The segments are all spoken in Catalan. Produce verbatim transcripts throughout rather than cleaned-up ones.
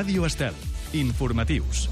Ràdio Estel. Informatius.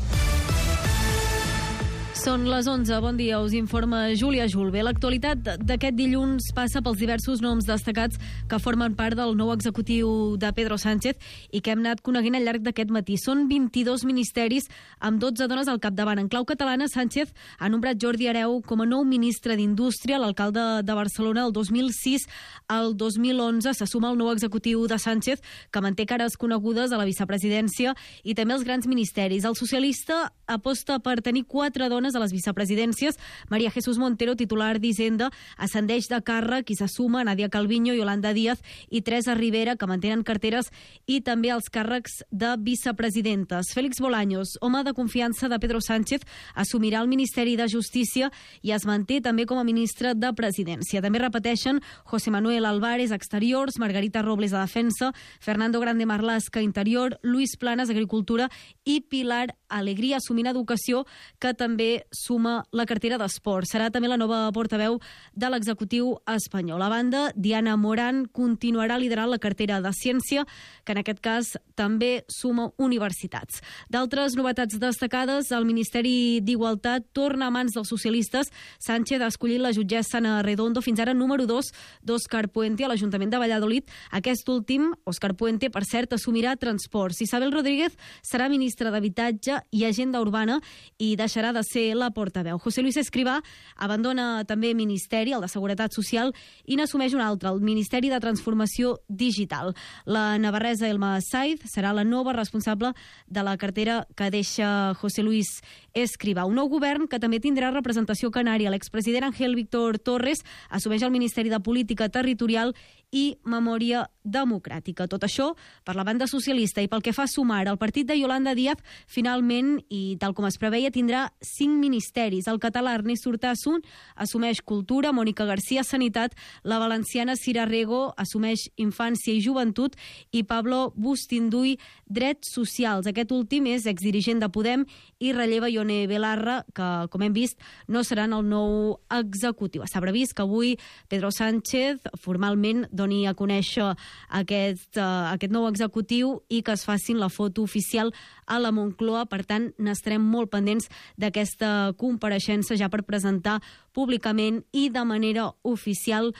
Són les onze. Bon dia, us informa Júlia Julve. L'actualitat d'aquest dilluns passa pels diversos noms destacats que formen part del nou executiu de Pedro Sánchez i que hem anat coneguent al llarg d'aquest matí. Són vint-i-dos ministeris amb dotze dones al capdavant. En clau catalana, Sánchez ha nombrat Jordi Hereu com a nou ministre d'Indústria. L'alcalde de Barcelona el dos mil sis al dos mil onze se suma al nou executiu de Sánchez, que manté cares conegudes a la vicepresidència i també als grans ministeris. El socialista aposta per tenir quatre dones a les vicepresidències. María Jesús Montero, titular d'Hisenda, ascendeix de càrrec i se suma Nadia Calviño, Yolanda Díaz i Teresa Rivera, que mantenen carteres i també els càrrecs de vicepresidentes. Félix Bolaños, home de confiança de Pedro Sánchez, assumirà el Ministeri de Justícia i es manté també com a ministre de Presidència. També repeteixen José Manuel Álvarez, Exteriors, Margarita Robles, de Defensa, Fernando Grande Marlaska, Interior, Luis Planas, Agricultura i Pilar Alegría, assumint Educació, que també suma la cartera d'Esport. Serà també la nova portaveu de l'executiu espanyol. A banda, Diana Morán continuarà liderant la cartera de Ciència, que en aquest cas també suma universitats. D'altres novetats destacades, el Ministeri d'Igualtat torna a mans dels socialistes. Sánchez ha escollit la jutgessa Ana Redondo, fins ara número dos d'Òscar Puente a l'Ajuntament de Valladolid. Aquest últim, Òscar Puente, per cert, assumirà Transports. Isabel Rodríguez serà ministra d'Habitatge i Agenda Urbana i deixarà de ser la portaveu. José Luis Escrivá abandona també Ministeri, el de Seguretat Social, i n'assumeix un altre, el Ministeri de Transformació Digital. La navarresa Elma Saiz serà la nova responsable de la cartera que deixa José Luis Escrivá. Un nou govern que també tindrà representació canària. L'expresident Ángel Víctor Torres assumeix el Ministeri de Política Territorial i Memòria Democràtica. Tot això per la banda socialista. I pel que fa a Sumar, el partit de Yolanda Díaz finalment, i tal com es preveia, tindrà cinc ministeris. El català Ernest Urtasun assumeix Cultura, Mònica García Sanitat, la valenciana Cira Rego assumeix Infància i Joventut i Pablo Bustinduy Drets Socials. Aquest últim és exdirigent de Podem i relleva Ione Belarra, que, com hem vist, no seran el nou executiu. Està previst que avui Pedro Sánchez formalment doni a conèixer aquest, uh, aquest nou executiu i que es facin la foto oficial a la Moncloa. Per tant, n'estarem molt pendents d'aquesta compareixença ja per presentar públicament i de manera oficial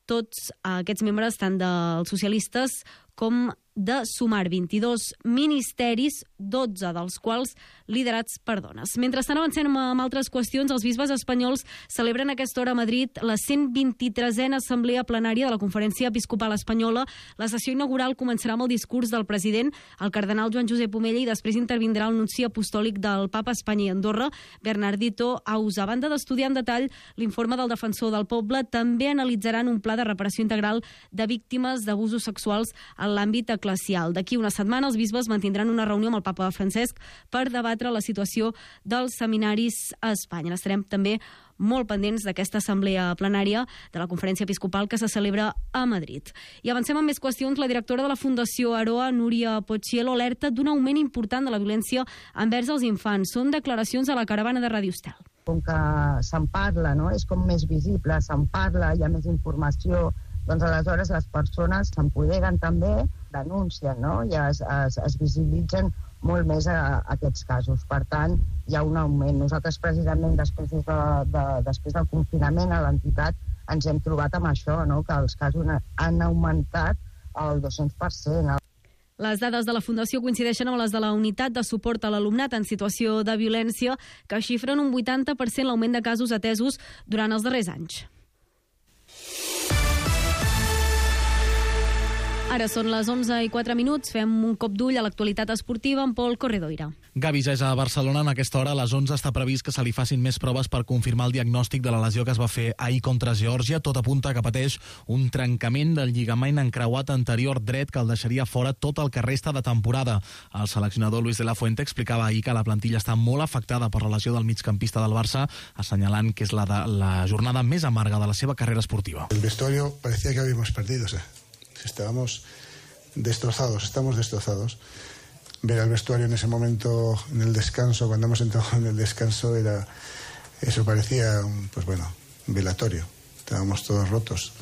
tots aquests membres, tant dels socialistes com de Sumar. vint-i-dos ministeris, dotze dels quals liderats per dones. Mentrestant avancem amb altres qüestions. Els bisbes espanyols celebren a aquesta hora a Madrid la cent vint-i-tresena assemblea plenària de la Conferència Episcopal Espanyola. La sessió inaugural començarà amb el discurs del president, el cardenal Joan Josep Omella, i després intervindrà el nunci apostòlic del Papa a Espanya i Andorra, Bernardito Ausa. A banda d'estudiar en detall l'informe del defensor del poble, també analitzaran un pla de reparació integral de víctimes d'abusos sexuals en l'àmbit eclesiàstic. D'aquí una setmana els bisbes mantindran una reunió amb el Papa Francesc per debatre la situació dels seminaris a Espanya. Estarem també molt pendents d'aquesta assemblea plenària de la Conferència Episcopal que se celebra a Madrid. I avancem amb més qüestions. La directora de la Fundació Aroa, Núria Pochielo, alerta d'un augment important de la violència envers els infants. Són declaracions a la caravana de Ràdio Estel. Com que se'n parla, no? És com més visible, se'n parla, hi ha més informació, doncs aleshores les persones s'empoderen també, denuncien, no? I es, es, es visibilitzen molt més a, a aquests casos. Per tant, hi ha un augment. Nosaltres precisament després, de, de, després del confinament a l'entitat ens hem trobat amb això, no? Que els casos han augmentat el dos-cents per cent. Les dades de la Fundació coincideixen amb les de la Unitat de Suport a l'Alumnat en Situació de Violència, que xifren un vuitanta per cent l'augment de casos atesos durant els darrers anys. Ara són les onze i quatre minuts, fem un cop d'ull a l'actualitat esportiva amb Pol Corredoira. Gavi ja és a Barcelona. En aquesta hora, a les onze, està previst que se li facin més proves per confirmar el diagnòstic de la lesió que es va fer ahir contra Geòrgia. Tot apunta que pateix un trencament del lligament encreuat anterior dret que el deixaria fora tot el que resta de temporada. El seleccionador Luis de la Fuente explicava ahir que la plantilla està molt afectada per la lesió del migcampista del Barça, assenyalant que és la, de, la jornada més amarga de la seva carrera esportiva. El vestuario parecía que habíamos perdido, o sea, estábamos destrozados, estamos destrozados. Ver al vestuario en ese momento, en el descanso, cuando hemos entrado en el descanso, era eso parecía, pues bueno, un velatorio. Estábamos todos rotos.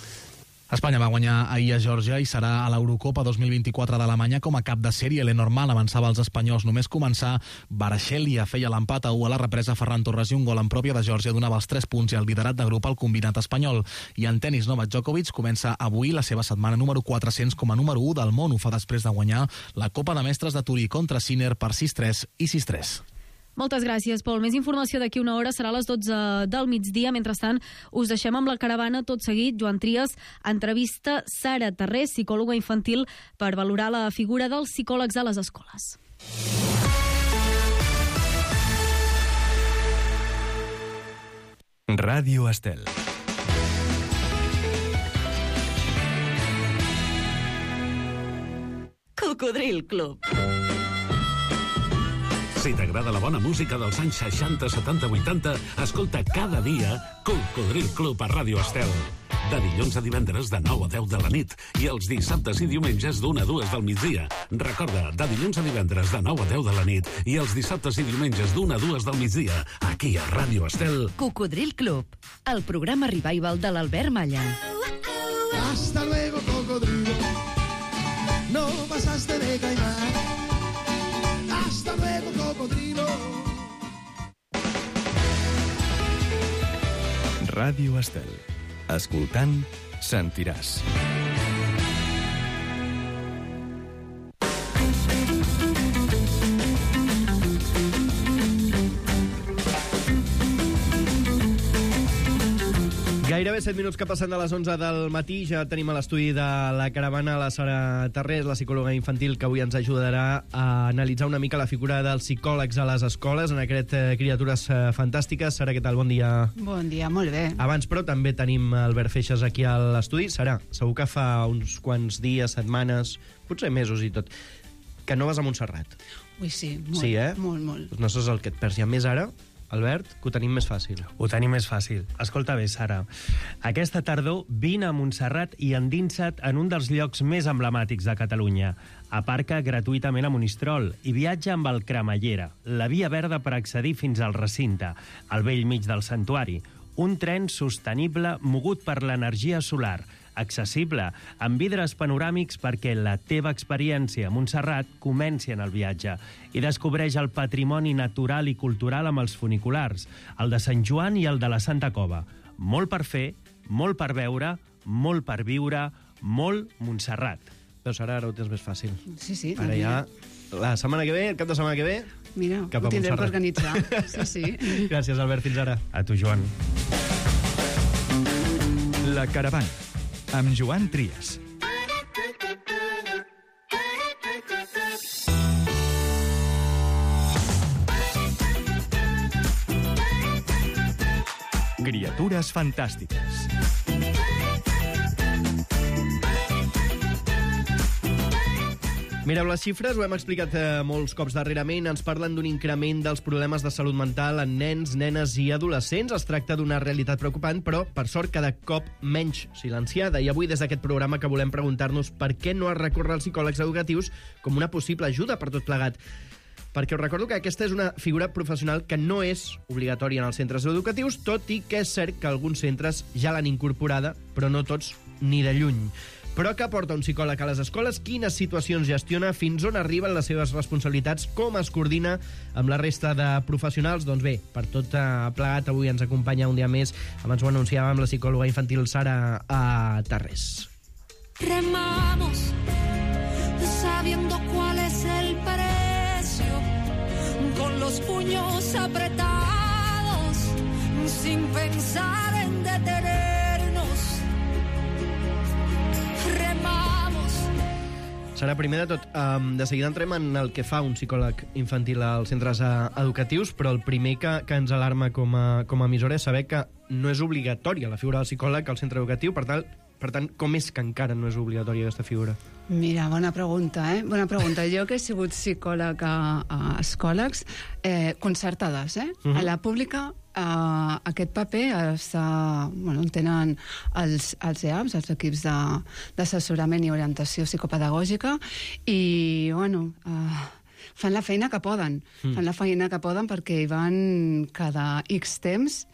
Espanya va guanyar ahir a Geòrgia i serà a l'Eurocopa dos mil vint-i-quatre d'Alemanya com a cap de sèrie. Lenormand avançava als espanyols. Només començar, Barseglia feia l'empat a u a la represa. Ferran Torres i un gol en pròpia de Geòrgia donava els tres punts i el liderat de grup al combinat espanyol. I en tenis, Novak Djokovic comença avui la seva setmana número quatre-cents com a número u del món. Ho fa després de guanyar la Copa de Mestres de Turí contra Sinner per sis tres i sis tres. Moltes gràcies, Pol. Més informació d'aquí una hora, serà a les dotze del migdia. Mentrestant, us deixem amb la caravana tot seguit. Joan Trias entrevista Sara Tarrés, psicòloga infantil, per valorar la figura dels psicòlegs a les escoles. Ràdio Estel. Cocodril Club. Si t'agrada la bona música dels anys seixanta, setanta, vuitanta, escolta cada dia Cocodril Club a Ràdio Estel. De dilluns a divendres de nou a deu de la nit i els dissabtes i diumenges d'una a dues del migdia. Recorda, de dilluns a divendres de nou a deu de la nit i els dissabtes i diumenges d'una a dues del migdia, aquí a Ràdio Estel. Cocodril Club, el programa revival de l'Albert Malla. Hasta luego, cocodrilo. No pasaste de caimán. Hasta luego, cocodrilo. Ràdio Estel. Escoltant, sentiràs. Gairebé set minuts que passen de les onze del matí. Ja tenim a l'estudi de la caravana la Sara Tarrés, la psicòloga infantil, que avui ens ajudarà a analitzar una mica la figura dels psicòlegs a les escoles en aquest eh, Criatures eh, Fantàstiques. Sara, què tal? Bon dia. Bon dia, molt bé. Abans, però, també tenim Albert Feixas aquí a l'estudi. Sara, segur que fa uns quants dies, setmanes, potser mesos i tot, que no vas a Montserrat. Ui, sí, molt, sí, eh? molt, molt. Doncs no saps el que et perds. I a més ara, Albert, que ho tenim més fàcil. Ho tenim més fàcil. Escolta bé, Sara. Aquesta tardor vine a Montserrat i endinsa't en un dels llocs més emblemàtics de Catalunya. Aparca gratuïtament a Monistrol i viatja amb el Cremallera, la via verda per accedir fins al recinte, al vell mig del santuari. Un tren sostenible mogut per l'energia solar, accessible, amb vidres panoràmics perquè la teva experiència a Montserrat comenci en el viatge i descobreix el patrimoni natural i cultural amb els funiculars, el de Sant Joan i el de la Santa Cova. Molt per fer, molt per veure, molt per viure, molt Montserrat. Però Sara, ara ho tens més fàcil. Sí, sí. Ara ja, la setmana que ve, el cap de setmana que ve, mira, cap a ho tindrem per Montserrat. organitzar. Sí, sí. Gràcies, Albert. Fins ara. A tu, Joan. La caravana, amb Joan Trias. Criatures fantàstiques. Mireu, les xifres, ho hem explicat eh, molts cops darrerament, ens parlen d'un increment dels problemes de salut mental en nens, nenes i adolescents. Es tracta d'una realitat preocupant, però, per sort, cada cop menys silenciada. I avui, des d'aquest programa, que volem preguntar-nos per què no es recorre als psicòlegs educatius com una possible ajuda per tot plegat. Perquè us recordo que aquesta és una figura professional que no és obligatòria en els centres educatius, tot i que és cert que alguns centres ja l'han incorporada, però no tots ni de lluny. Però què aporta un psicòleg a les escoles? Quines situacions gestiona? Fins on arriben les seves responsabilitats? Com es coordina amb la resta de professionals? Doncs bé, per tot plegat, avui ens acompanya un dia més, abans ho anunciàvem, la psicòloga infantil Sara a Tarrés. Remamos sabiendo cuál es el precio, con los puños apretados, sin pensar en detenernos. Remamos. Sara, primer de tot, um, de seguida entrem en el que fa un psicòleg infantil als centres uh, educatius, però el primer que, que ens alarma com a, com a emissora és saber que no és obligatòria la figura del psicòleg al centre educatiu. Per tant, per tant, com és que encara no és obligatòria aquesta figura? Mira, bona pregunta, eh? Bona pregunta. Jo que he sigut psicòleg a, a escoles eh, concertades, eh? Uh-huh. A la pública eh, aquest paper està, bueno, tenen els, els E A Ps, els equips d'assessorament i orientació psicopedagògica, i, bueno, eh, fan la feina que poden. Mm. Fan la feina que poden perquè hi van cada X temps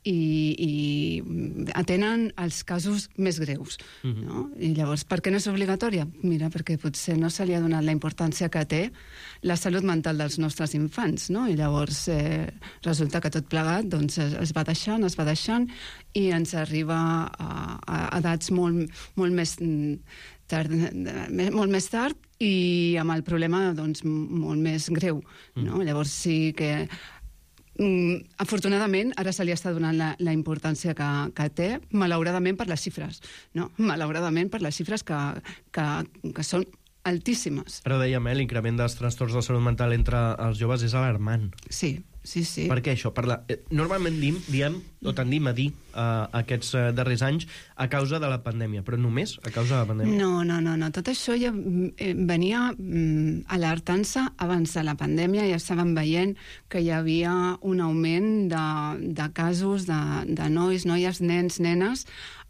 i, i atenen els casos més greus. Uh-huh. No? I llavors, per què no és obligatòria? Mira, perquè potser no se li ha donat la importància que té la salut mental dels nostres infants, no? I llavors eh, resulta que tot plegat doncs, es, es va deixant, es va deixant, i ens arriba a, a edats molt, molt més tard, molt més tard, i amb el problema doncs, molt més greu. No? Mm. Llavors sí que mm, afortunadament ara se li està donant la, la importància que, que té, malauradament per les xifres, no? Malauradament per les xifres que, que, que són altíssimes. Però dèiem, eh, l'increment dels trastorns de salut mental entre els joves és alarmant. Sí, sí, sí. Per què això? Per la... Normalment dim, diem, o tendim a dir uh, aquests uh, darrers anys a causa de la pandèmia, però només a causa de la pandèmia? No, no, no, no. Tot això ja eh, venia mm, alertant-se abans de la pandèmia, ja estaven veient que hi havia un augment de, de casos de, de nois, noies, nens, nenes,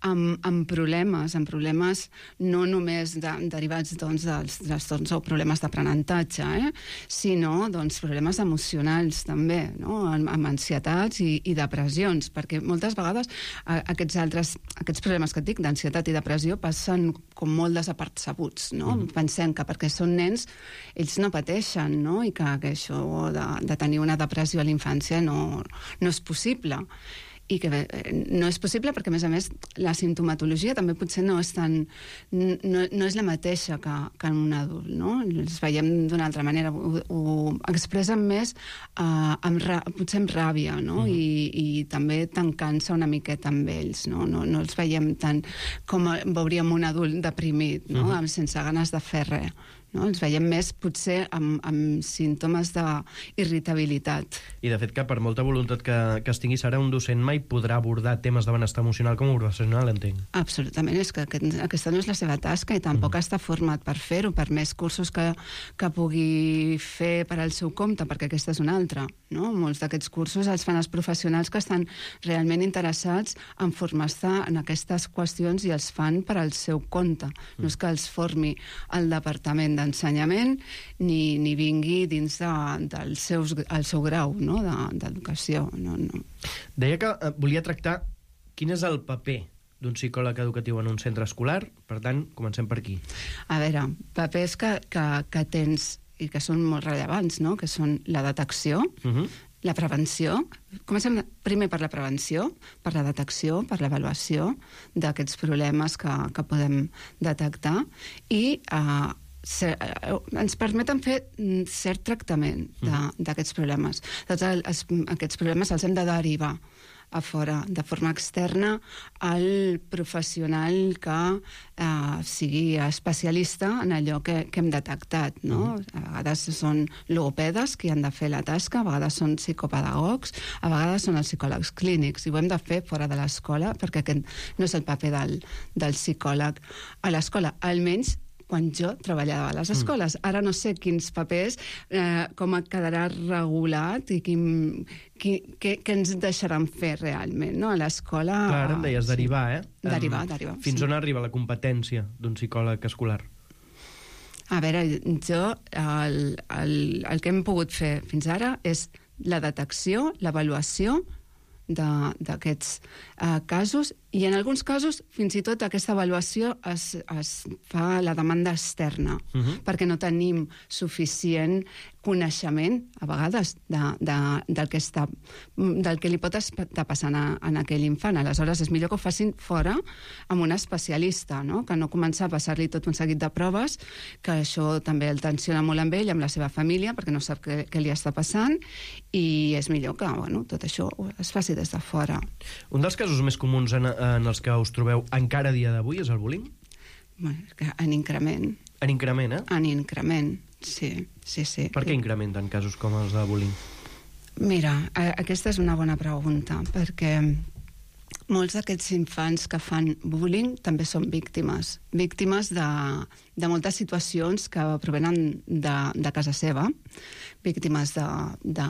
amb, amb problemes, amb problemes no només de, derivats doncs, dels trastorns o problemes d'aprenentatge, eh? sinó doncs, problemes emocionals també, no? amb, amb ansietats i, i depressions, perquè moltes vegades a, aquests altres aquests problemes que et dic, d'ansietat i depressió, passen com molt desapercebuts, no? Mm. Pensem que perquè són nens ells no pateixen, no? I que, que això de, de tenir una depressió a la infància no, no és possible. I que no és possible perquè, a més a més, la simptomatologia també potser no és tan... no, no és la mateixa que, que en un adult, no? Els veiem d'una altra manera, ho, ho expressen més uh, amb ra, potser amb ràbia, no? Mm. I, i també tancant-se una miqueta amb ells, no? No, no els veiem tant com veuríem un adult deprimit, no? Mm. Sense ganes de fer res. No? Els veiem més, potser, amb, amb símptomes d'irritabilitat. I, de fet, que per molta voluntat que, que es tingui, Sara, un docent mai podrà abordar temes de benestar emocional com a professional, entenc. Absolutament, és que aquest, aquesta no és la seva tasca i tampoc mm. està format per fer-ho, per més cursos que, que pugui fer per al seu compte, perquè aquesta és una altra. No? Molts d'aquests cursos els fan els professionals que estan realment interessats en formar-se en aquestes qüestions i els fan per al seu compte. Mm. No és que els formi el departament d'ensenyament ni, ni vingui dins de, del seus, el seu grau, no? d'educació. No, no. Deia que eh, volia tractar quin és el paper d'un psicòleg educatiu en un centre escolar. Per tant, comencem per aquí. A veure, papers que, que, que tens i que són molt rellevants, no? Que són la detecció, uh-huh. la prevenció. Comencem primer per la prevenció, per la detecció, per l'avaluació d'aquests problemes que, que podem detectar i eh, ser, eh, ens permeten fer cert tractament d'aquests problemes. Tots els, aquests problemes els hem de derivar a fora, de forma externa, al professional que eh, sigui especialista en allò que, que hem detectat. No? A vegades són logopedes que han de fer la tasca, a vegades són psicopedagogs, a vegades són els psicòlegs clínics, i ho hem de fer fora de l'escola, perquè aquest no és el paper del, del psicòleg a l'escola, almenys quan jo treballava a les escoles. Ara no sé quins papers, eh, com quedarà regulat i quin, qui, què, què ens deixaran fer realment, no? A l'escola... Clar, em deies derivar, eh? Derivar, derivar. Fins sí. on arriba la competència d'un psicòleg escolar? A veure, jo el, el, el que hem pogut fer fins ara és la detecció, l'avaluació d'aquests uh, casos, i en alguns casos fins i tot aquesta avaluació es, es fa la demanda externa, uh-huh. perquè no tenim suficient coneixement a vegades de, de, del, que està, del que li pot estar passant a, a aquell infant. Aleshores és millor que ho facin fora amb un especialista, no? Que no començar a passar-li tot un seguit de proves, que això també el tensiona molt amb ell, amb la seva família, perquè no sap què, què li està passant, i és millor que bueno, tot això es faci des de fora. Un dels casos més comuns en, en els que us trobeu encara a dia d'avui és el bullying? Bueno, en increment. En increment, eh? En increment, sí, sí, sí. Per què incrementen casos com els de bullying? Mira, aquesta és una bona pregunta, perquè molts d'aquests infants que fan bullying també són víctimes. Víctimes de, de moltes situacions que provenen de, de casa seva, víctimes de, de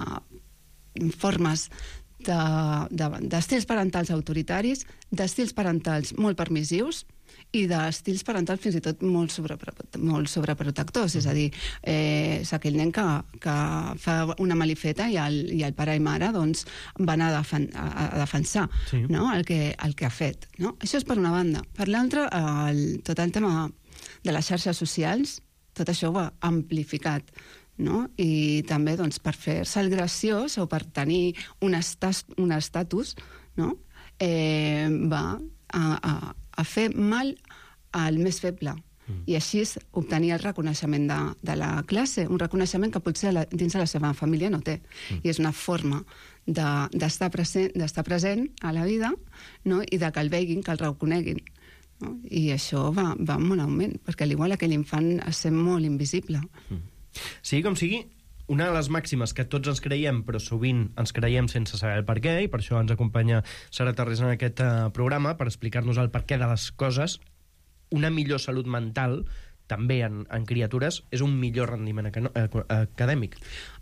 formes d'estils de, de, d'estils parentals autoritaris, d'estils parentals molt permissius i d'estils parentals fins i tot molt, sobre, molt sobreprotectors, és a dir, eh, és aquell nen que, que fa una malifeta i el, i el pare i mare doncs, van a, defen a, a defensar sí. no? el, que, el que ha fet. No? Això és per una banda. Per l'altra, el, tot el tema de les xarxes socials, tot això ho ha amplificat, no? I també doncs, per fer-se el graciós o per tenir un, estas, un estatus, no? eh, va a, a, a fer mal al més feble. Mm. I així és obtenir el reconeixement de, de la classe, un reconeixement que potser la, dins de la seva família no té. Mm. I és una forma d'estar de, present, d'estar present a la vida, no? I de que el veguin, que el reconeguin. No? I això va, va en un augment, perquè al igual aquell infant es sent molt invisible. Mm. Sigui com sigui, una de les màximes que tots ens creiem, però sovint ens creiem sense saber el per què, i per això ens acompanya Sara Tarrés en aquest uh, programa, per explicar-nos el per què de les coses, una millor salut mental, també en, en criatures, és un millor rendiment ac acadèmic.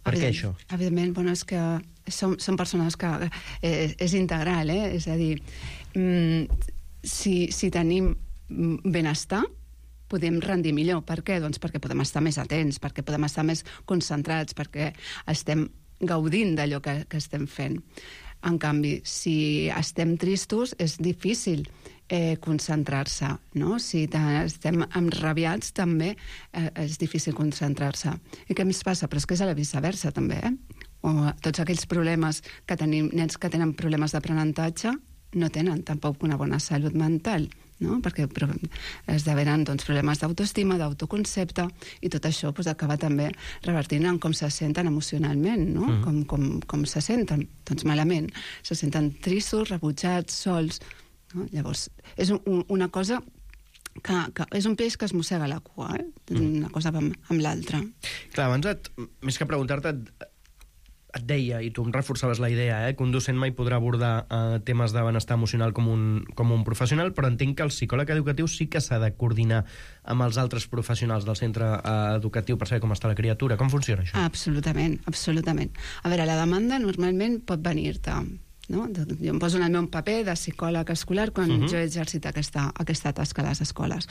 Per què això? Evidentment, bueno, és que som, som persones que eh, és integral, eh? És a dir, mm, si, si tenim benestar, podem rendir millor. Per què? Doncs perquè podem estar més atents, perquè podem estar més concentrats, perquè estem gaudint d'allò que, que estem fent. En canvi, si estem tristos, és difícil eh, concentrar-se, no? Si estem enrabiats, també eh, és difícil concentrar-se. I què ens passa? Però és que és a la viceversa, també, eh? O tots aquells problemes que tenim, nens que tenen problemes d'aprenentatge, no tenen tampoc una bona salut mental, no? Perquè esdevenen doncs, problemes d'autoestima, d'autoconcepte, i tot això pues, acaba també revertint en com se senten emocionalment, no? Mm. com, com, com se senten, doncs malament, se senten tristos, rebutjats, sols, no? Llavors, és un, una cosa que, que és un peix que es mossega la cua, eh? Mm. Una cosa amb, amb l'altra. Clar, abans, et, més que preguntar-te, et, et deia, i tu em reforçaves la idea, eh, que un docent mai podrà abordar eh, temes de benestar emocional com un, com un professional, però entenc que el psicòleg educatiu sí que s'ha de coordinar amb els altres professionals del centre eh, educatiu per saber com està la criatura. Com funciona això? Absolutament, absolutament. A veure, la demanda normalment pot venir-te, no? Jo em poso en el meu paper de psicòleg escolar quan uh-huh. jo he exercit aquesta, aquesta tasca a les escoles.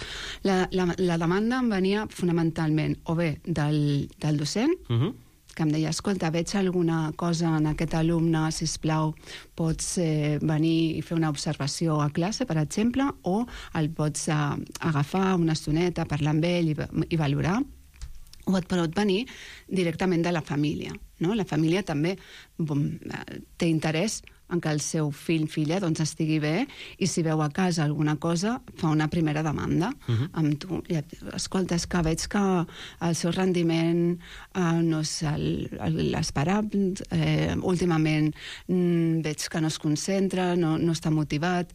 La, la, la demanda em venia fonamentalment o bé del, del docent, uh-huh. que em deia, escolta, veig alguna cosa en aquest alumne, sisplau, pots eh, venir i fer una observació a classe, per exemple, o el pots eh, agafar una estoneta, parlar amb ell i, i valorar, o et pot venir directament de la família. No? La família també bom, té interès en que el seu fill, filla, doncs estigui bé, i si veu a casa alguna cosa, fa una primera demanda uh-huh. amb tu. I, escolta, és que veig que el seu rendiment eh, no és l'esperable, eh, últimament mm, veig que no es concentra, no, no està motivat,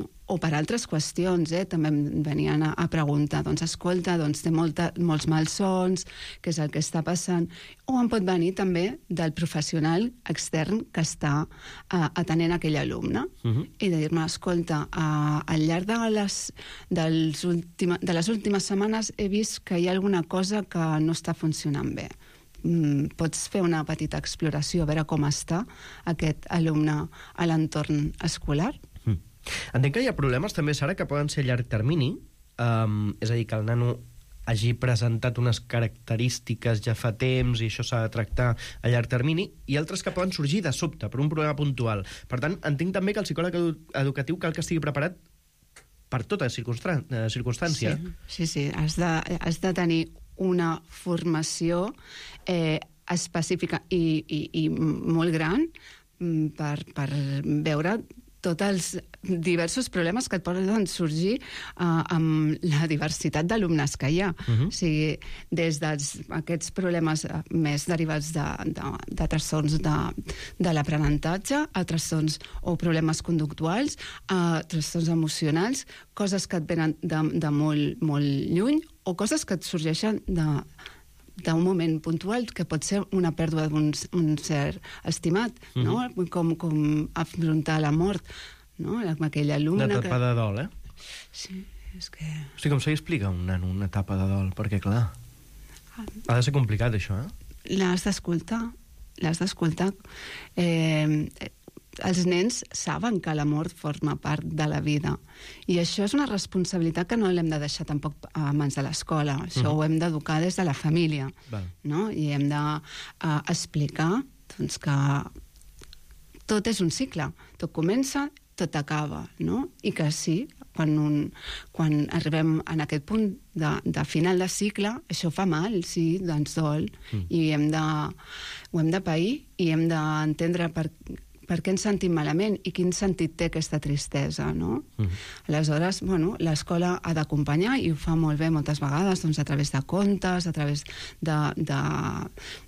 no? O per altres qüestions, eh? També em venien a, a preguntar, doncs escolta, doncs té molta, molts malsons, què és el que està passant, o em pot venir també del professional extern que està uh, atenent aquell alumne, uh-huh. i de dir-me, escolta, uh, al llarg de les, dels última, de les últimes setmanes he vist que hi ha alguna cosa que no està funcionant bé. Mm, pots fer una petita exploració, a veure com està aquest alumne a l'entorn escolar? Mm. Entenc que hi ha problemes també, Sara, que poden ser a llarg termini, um, és a dir, que el nano hagi presentat unes característiques ja fa temps i això s'ha de tractar a llarg termini, i altres que poden sorgir de sobte per un problema puntual. Per tant, entenc també que el psicòleg edu educatiu cal que estigui preparat per tota circumstància. Sí, sí, sí. Has de, has de tenir una formació eh, específica i, i, i molt gran per, per veure tots els diversos problemes que et poden sorgir uh, amb la diversitat d'alumnes que hi ha. Uh-huh. O sigui, des d'aquests problemes més derivats de, de, de trastorns de, de l'aprenentatge, a trastorns o problemes conductuals, a trastorns emocionals, coses que et venen de, de molt, molt lluny, o coses que et sorgeixen de d'un moment puntual, que pot ser una pèrdua d'un ser estimat, mm-hmm. no? Com, com afrontar la mort, no? Aquell alumne... Una etapa que... de dol, eh? Sí, és que... O sigui, com se li explica a un nano una etapa de dol? Perquè, clar, ha de ser complicat, això, eh? L'has d'escoltar, l'has d'escoltar. Eh, els nens saben que la mort forma part de la vida. I això és una responsabilitat que no l'hem de deixar tampoc a mans de l'escola. Això uh-huh. ho hem d'educar des de la família. Val. No? I hem d'explicar uh, doncs, que tot és un cicle. Tot comença, tot acaba. No? I que sí, quan, un, quan arribem en aquest punt de, de final de cicle, això fa mal, sí, doncs dol. Mm. I hem de, ho hem de pair i hem d'entendre per, per què ens sentim malament i quin sentit té aquesta tristesa, no? Mm. Aleshores, bueno, l'escola ha d'acompanyar i ho fa molt bé moltes vegades, doncs, a través de contes, a través de, de,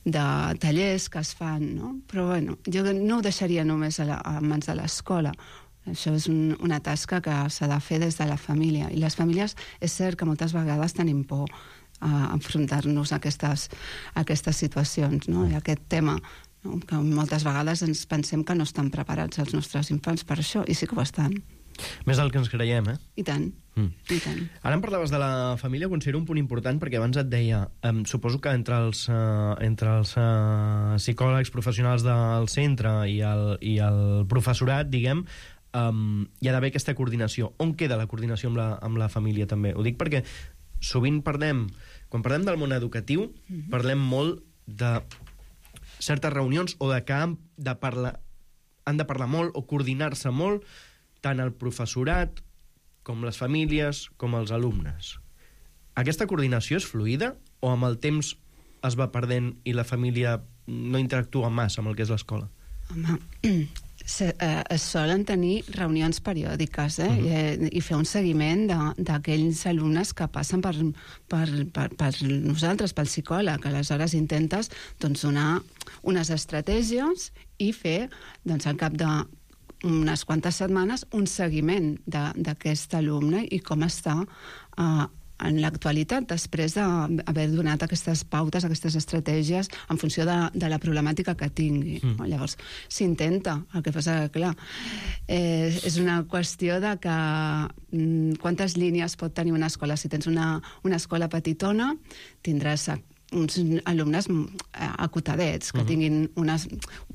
de tallers que es fan, no? Però, bueno, jo no ho deixaria només a, la, a mans de l'escola. Això és un, una tasca que s'ha de fer des de la família. I les famílies, és cert que moltes vegades tenim por a enfrontar-nos a aquestes, a aquestes situacions, no? I aquest tema, no? Que moltes vegades ens pensem que no estan preparats els nostres infants per això, i sí que ho estan. Més del que ens creiem, eh? I tant, mm. i tant. Ara em parlaves de la família, considero un punt important, perquè abans et deia, eh, suposo que entre els, eh, entre els eh, psicòlegs professionals del centre i el, i el professorat, diguem, Um, hi ha d'haver aquesta coordinació. On queda la coordinació amb la, amb la família, també? Ho dic perquè sovint parlem, quan parlem del món educatiu, mm-hmm. parlem molt de certes reunions o de que han de parlar, han de parlar molt o coordinar-se molt tant el professorat com les famílies com els alumnes. Aquesta coordinació és fluida o amb el temps es va perdent i la família no interactua massa amb el que és l'escola? Home, Se, eh, es solen tenir reunions periòdiques eh? uh-huh. I, i fer un seguiment d'aquells alumnes que passen per, per, per, per nosaltres, pel psicòleg. Aleshores intentes doncs, donar unes estratègies i fer doncs, al cap d'unes quantes setmanes un seguiment d'aquest alumne i com està eh, en l'actualitat, després d'haver donat aquestes pautes, aquestes estratègies en funció de, de la problemàtica que tingui. Mm. Llavors, s'intenta. El que passa que, clar, eh, és una qüestió de que mm, quantes línies pot tenir una escola. Si tens una, una escola petitona, tindràs uns alumnes acotadets, que uh-huh. tinguin una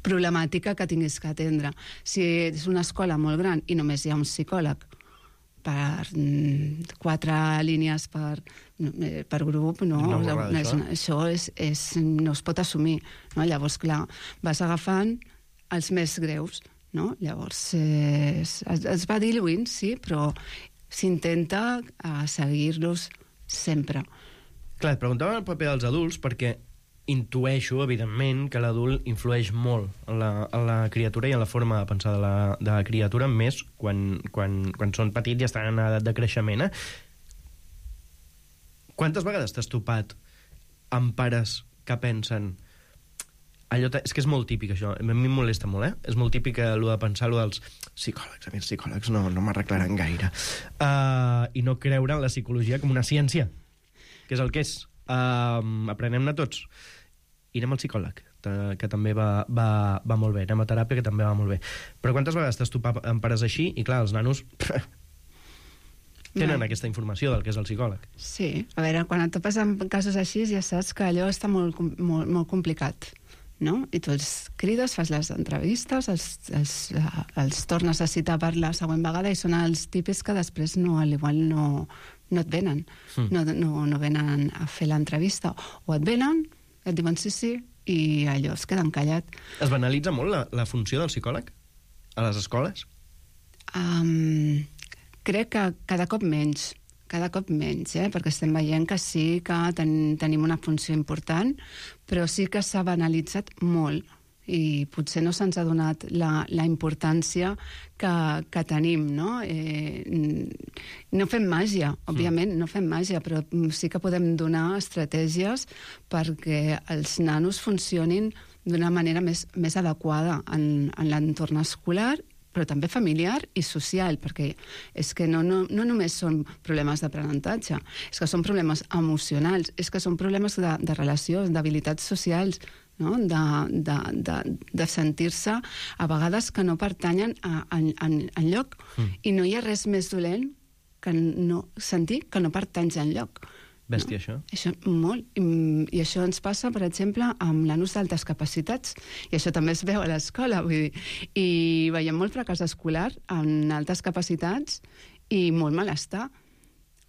problemàtica que tinguis que atendre. Si és una escola molt gran i només hi ha un psicòleg per quatre línies per, per grup, no, no, no, no és, això és, és, no es pot assumir. No? Llavors, clar, vas agafant els més greus. No? Llavors, eh, es, es va diluint, sí, però s'intenta eh, seguir-los sempre. Clar, et preguntava el paper dels adults perquè intueixo, evidentment, que l'adult influeix molt en la, en la criatura i en la forma de pensar de la, de la criatura, més quan, quan, quan són petits i estan en edat de creixement. Eh? Quantes vegades t'has topat amb pares que pensen... Allò és que és molt típic, això. A mi em molesta molt, eh? És molt típic allò de pensar allò dels psicòlegs. A mi els psicòlegs no, no m'arreglaran gaire. Uh, I no creure en la psicologia com una ciència, que és el que és. Uh, aprenem-ne tots. I anem al psicòleg, que també va, va, va molt bé. Anem a teràpia, que també va molt bé. Però quantes vegades t'has topat amb pares així? I clar, els nanos tenen no. aquesta informació del que és el psicòleg. Sí. A veure, quan et topes amb casos així ja saps que allò està molt, molt, molt complicat. No? I tu els crides, fas les entrevistes, els, els, els tornes a citar per la següent vegada i són els típics que després no, al igual no, no et venen. Mm. No, no, no venen a fer l'entrevista. O et venen, et diuen sí, sí, i allò es queden callat. Es banalitza molt la, la funció del psicòleg a les escoles? Um, crec que cada cop menys. Cada cop menys, eh? Perquè estem veient que sí que ten, tenim una funció important, però sí que s'ha banalitzat molt i potser no se'ns ha donat la, la importància que, que tenim, no? Eh, no fem màgia, òbviament, no fem màgia, però sí que podem donar estratègies perquè els nanos funcionin d'una manera més, més adequada en, en l'entorn escolar, però també familiar i social, perquè és que no, no, no només són problemes d'aprenentatge, és que són problemes emocionals, és que són problemes de, de relació, d'habilitats socials, no? de, de, de, de sentir-se a vegades que no pertanyen a, a, a, a lloc, mm. i no hi ha res més dolent que no sentir que no pertanys a lloc. Bèstia, això. Això, molt. I, I això ens passa, per exemple, amb l'anús d'altes capacitats. I això també es veu a l'escola. Vull dir, i veiem molt fracàs escolar en altes capacitats i molt malestar.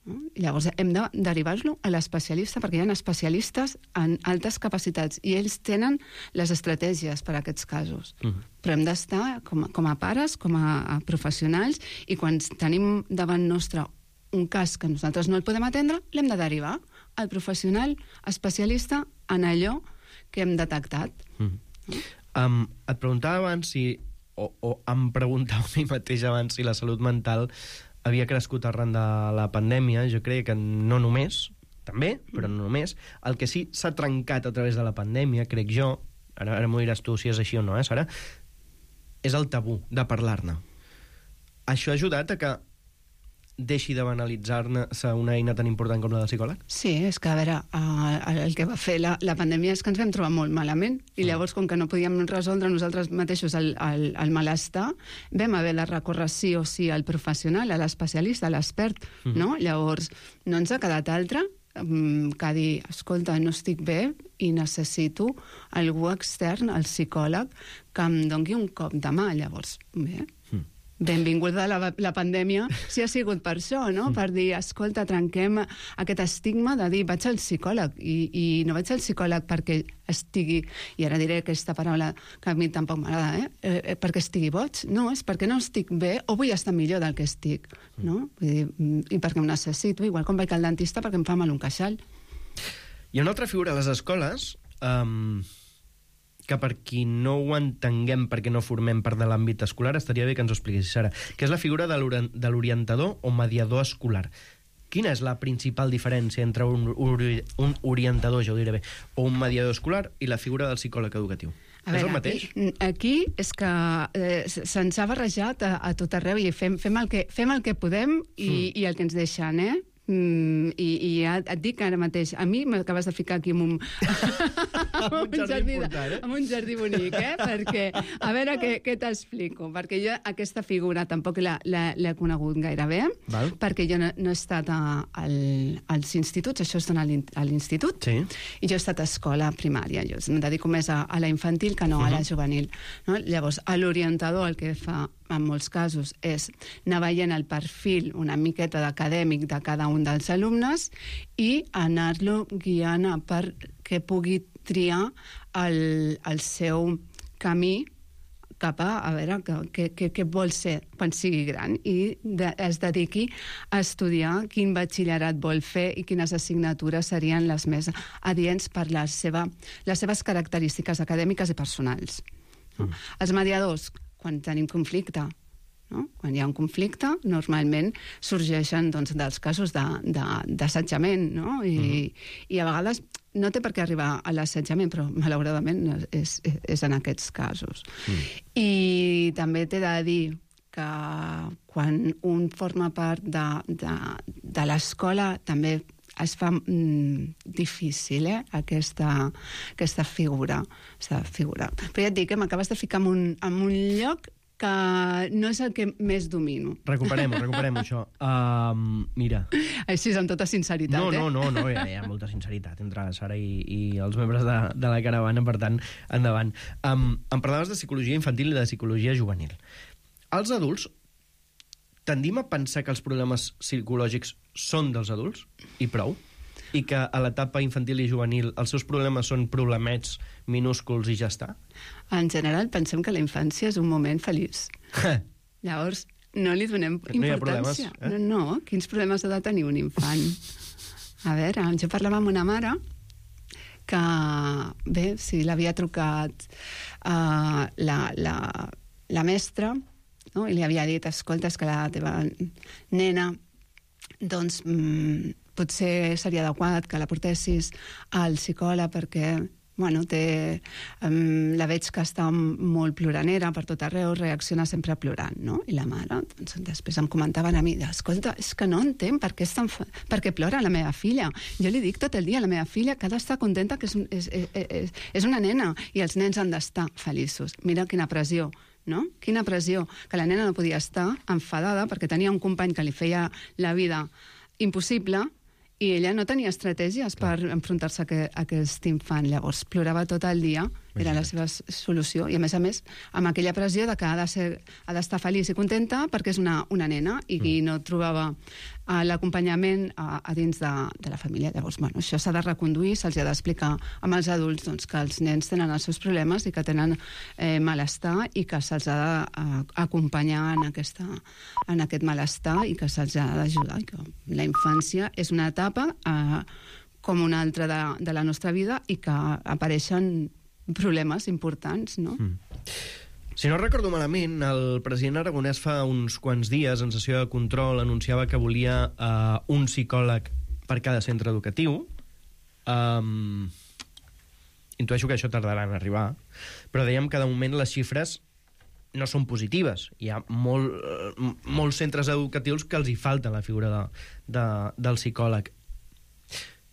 No? I llavors hem de derivar-lo a l'especialista, perquè hi ha especialistes en altes capacitats i ells tenen les estratègies per a aquests casos. Uh-huh. Però hem d'estar com, com a pares, com a, a professionals, i quan tenim davant nostre un cas que nosaltres no el podem atendre, l'hem de derivar al professional especialista en allò que hem detectat. Mm. Um, et preguntava abans si, o, o em preguntava a mi mateix abans si la salut mental havia crescut arran de la pandèmia. Jo crec que no només, també, però no només. El que sí s'ha trencat a través de la pandèmia, crec jo, ara, ara m'ho diràs tu si és així o no, eh, Sara, és el tabú de parlar-ne. Això ha ajudat a que deixi de banalitzar-se una eina tan important com la del psicòleg? Sí, és que, a veure, uh, el que va fer la, la pandèmia és que ens vam trobar molt malament, i llavors, com que no podíem resoldre nosaltres mateixos el, el, el malestar, vam haver de recórrer sí o sí al professional, a l'especialista, a l'expert, mm-hmm. no? Llavors, no ens ha quedat altre um, que dir, escolta, no estic bé i necessito algú extern, el psicòleg, que em doni un cop de mà. Llavors, bé... Mm. Benvinguda la, la pandèmia, si ha sigut per això, no? Mm. Per dir, escolta, trenquem aquest estigma de dir, vaig al psicòleg, i, i no vaig al psicòleg perquè estigui, i ara diré aquesta paraula que a mi tampoc m'agrada, eh? eh? perquè estigui boig, no, és perquè no estic bé o vull estar millor del que estic, no? Vull dir, i perquè ho necessito, igual com vaig al dentista perquè em fa mal un queixal. Hi ha una altra figura a les escoles, um, que per qui no ho entenguem perquè no formem part de l'àmbit escolar, estaria bé que ens ho expliquessis, Sara, que és la figura de l'orientador o mediador escolar. Quina és la principal diferència entre un, un orientador, ja ho diré bé, o un mediador escolar i la figura del psicòleg educatiu? A veure, és el mateix? Aquí, aquí és que eh, se'ns ha barrejat a, a tot arreu i fem, fem, el que, fem el que podem i, mm. i el que ens deixen, eh? Mm, i, i ja et dic ara mateix, a mi m'acabes de ficar aquí amb un, amb un, jardí, jardí important, eh? amb un jardí bonic, eh? Perquè, a veure què, què t'explico, perquè jo aquesta figura tampoc l'he conegut gaire bé, Val. perquè jo no, no he estat a, al, als instituts, això es dona a l'institut, sí. i jo he estat a escola primària, jo em dedico més a, a la infantil que no uh -huh. a la juvenil, no? Llavors, l'orientador el que fa en molts casos és anar veient el perfil una miqueta d'acadèmic de cada un dels alumnes i anar-lo guiant perquè pugui triar el, el seu camí cap a, a veure, què, què vol ser quan sigui gran i de, es dediqui a estudiar quin batxillerat vol fer i quines assignatures serien les més adients per la seva, les seves característiques acadèmiques i personals. Mm. Els mediadors, quan tenim conflicte, no? Quan hi ha un conflicte, normalment sorgeixen doncs, dels casos d'assetjament, no? I, mm. i a vegades no té per què arribar a l'assetjament, però malauradament és, és en aquests casos. Mm. I també t'he de dir que quan un forma part de, de, de l'escola també es fa mm, difícil, eh, aquesta, aquesta figura, aquesta figura. Però ja et dic que m'acabes de ficar en un, en un lloc que no és el que més domino. Recuperem-ho, recuperem-ho, això. Um, mira. Així, amb tota sinceritat, no, eh? No, no, no, hi ha, hi ha molta sinceritat entre la Sara i, i els membres de, de la caravana, per tant, endavant. Um, em parlaves de psicologia infantil i de psicologia juvenil. Els adults tendim a pensar que els problemes psicològics són dels adults, i prou, i que a l'etapa infantil i juvenil els seus problemes són problemets minúsculs i ja està? En general, pensem que la infància és un moment feliç. Llavors, no li donem importància. No hi ha problemes, eh? No, no, quins problemes ha de tenir un infant? A veure, jo parlava amb una mare que, bé, si l'havia trucat uh, la, la, la mestra, no? I li havia dit, escolta, és que la teva nena, doncs, mmm, potser seria adequat que la portessis al psicòleg perquè, bueno, té, um, la veig que està molt ploranera per tot arreu, reacciona sempre plorant, no? I la mare, doncs, després em comentaven a mi, escolta, és que no entenc per què, estan fa... per què plora la meva filla. Jo li dic tot el dia a la meva filla que ha d'estar contenta que és, és, és, és, és una nena i els nens han d'estar feliços. Mira quina pressió, no? Quina pressió, que la nena no podia estar enfadada perquè tenia un company que li feia la vida impossible i ella no tenia estratègies per enfrontar-se a, que, a aquest infant. Llavors plorava tot el dia, era la seva solució, i a més a més amb aquella pressió de que ha de ser, ha d'estar feliç i contenta perquè és una, una nena i mm. no trobava uh, l'acompanyament a, a dins de, de la família. Llavors, bueno, això s'ha de reconduir, se'ls ha d'explicar amb els adults doncs, que els nens tenen els seus problemes i que tenen eh, malestar i que se'ls ha d'acompanyar en, aquesta, en aquest malestar i que se'ls ha d'ajudar. La infància és una etapa eh, com una altra de, de la nostra vida i que apareixen problemes importants, no? Mm. Si no recordo malament, el president aragonès fa uns quants dies, en sessió de control, anunciava que volia uh, un psicòleg per cada centre educatiu. Um, intueixo que això tardarà en arribar, però dèiem que de moment les xifres no són positives. Hi ha molt, uh, molts centres educatius que els hi falta la figura de, de, del psicòleg.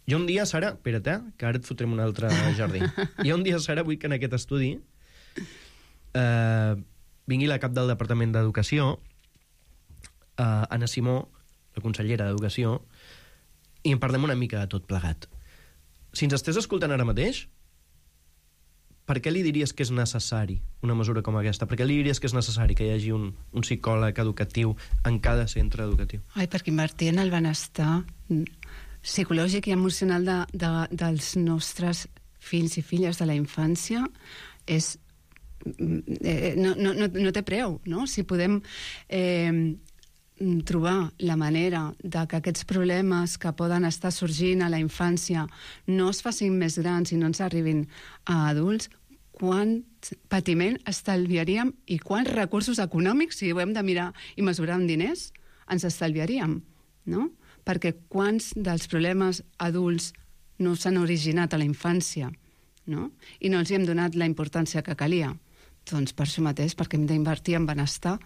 Jo un dia, Sara, espera't, eh, que ara et fotrem un altre jardí. Jo un dia, Sara, vull que en aquest estudi eh, vingui la cap del Departament d'Educació, eh, Anna Simó, la consellera d'Educació, i en parlem una mica de tot plegat. Si ens estàs escoltant ara mateix, per què li diries que és necessari una mesura com aquesta? Per què li diries que és necessari que hi hagi un, un psicòleg educatiu en cada centre educatiu? Ai, perquè invertir en el benestar psicològic i emocional de, de, dels nostres fills i filles de la infància és eh, no, no, no té preu, no? Si podem eh, trobar la manera de que aquests problemes que poden estar sorgint a la infància no es facin més grans i no ens arribin a adults, quant patiment estalviaríem i quants recursos econòmics, si ho hem de mirar i mesurar amb diners, ens estalviaríem, no? Perquè quants dels problemes adults no s'han originat a la infància, no? I no els hi hem donat la importància que calia. Doncs per això mateix, perquè hem d'invertir en benestar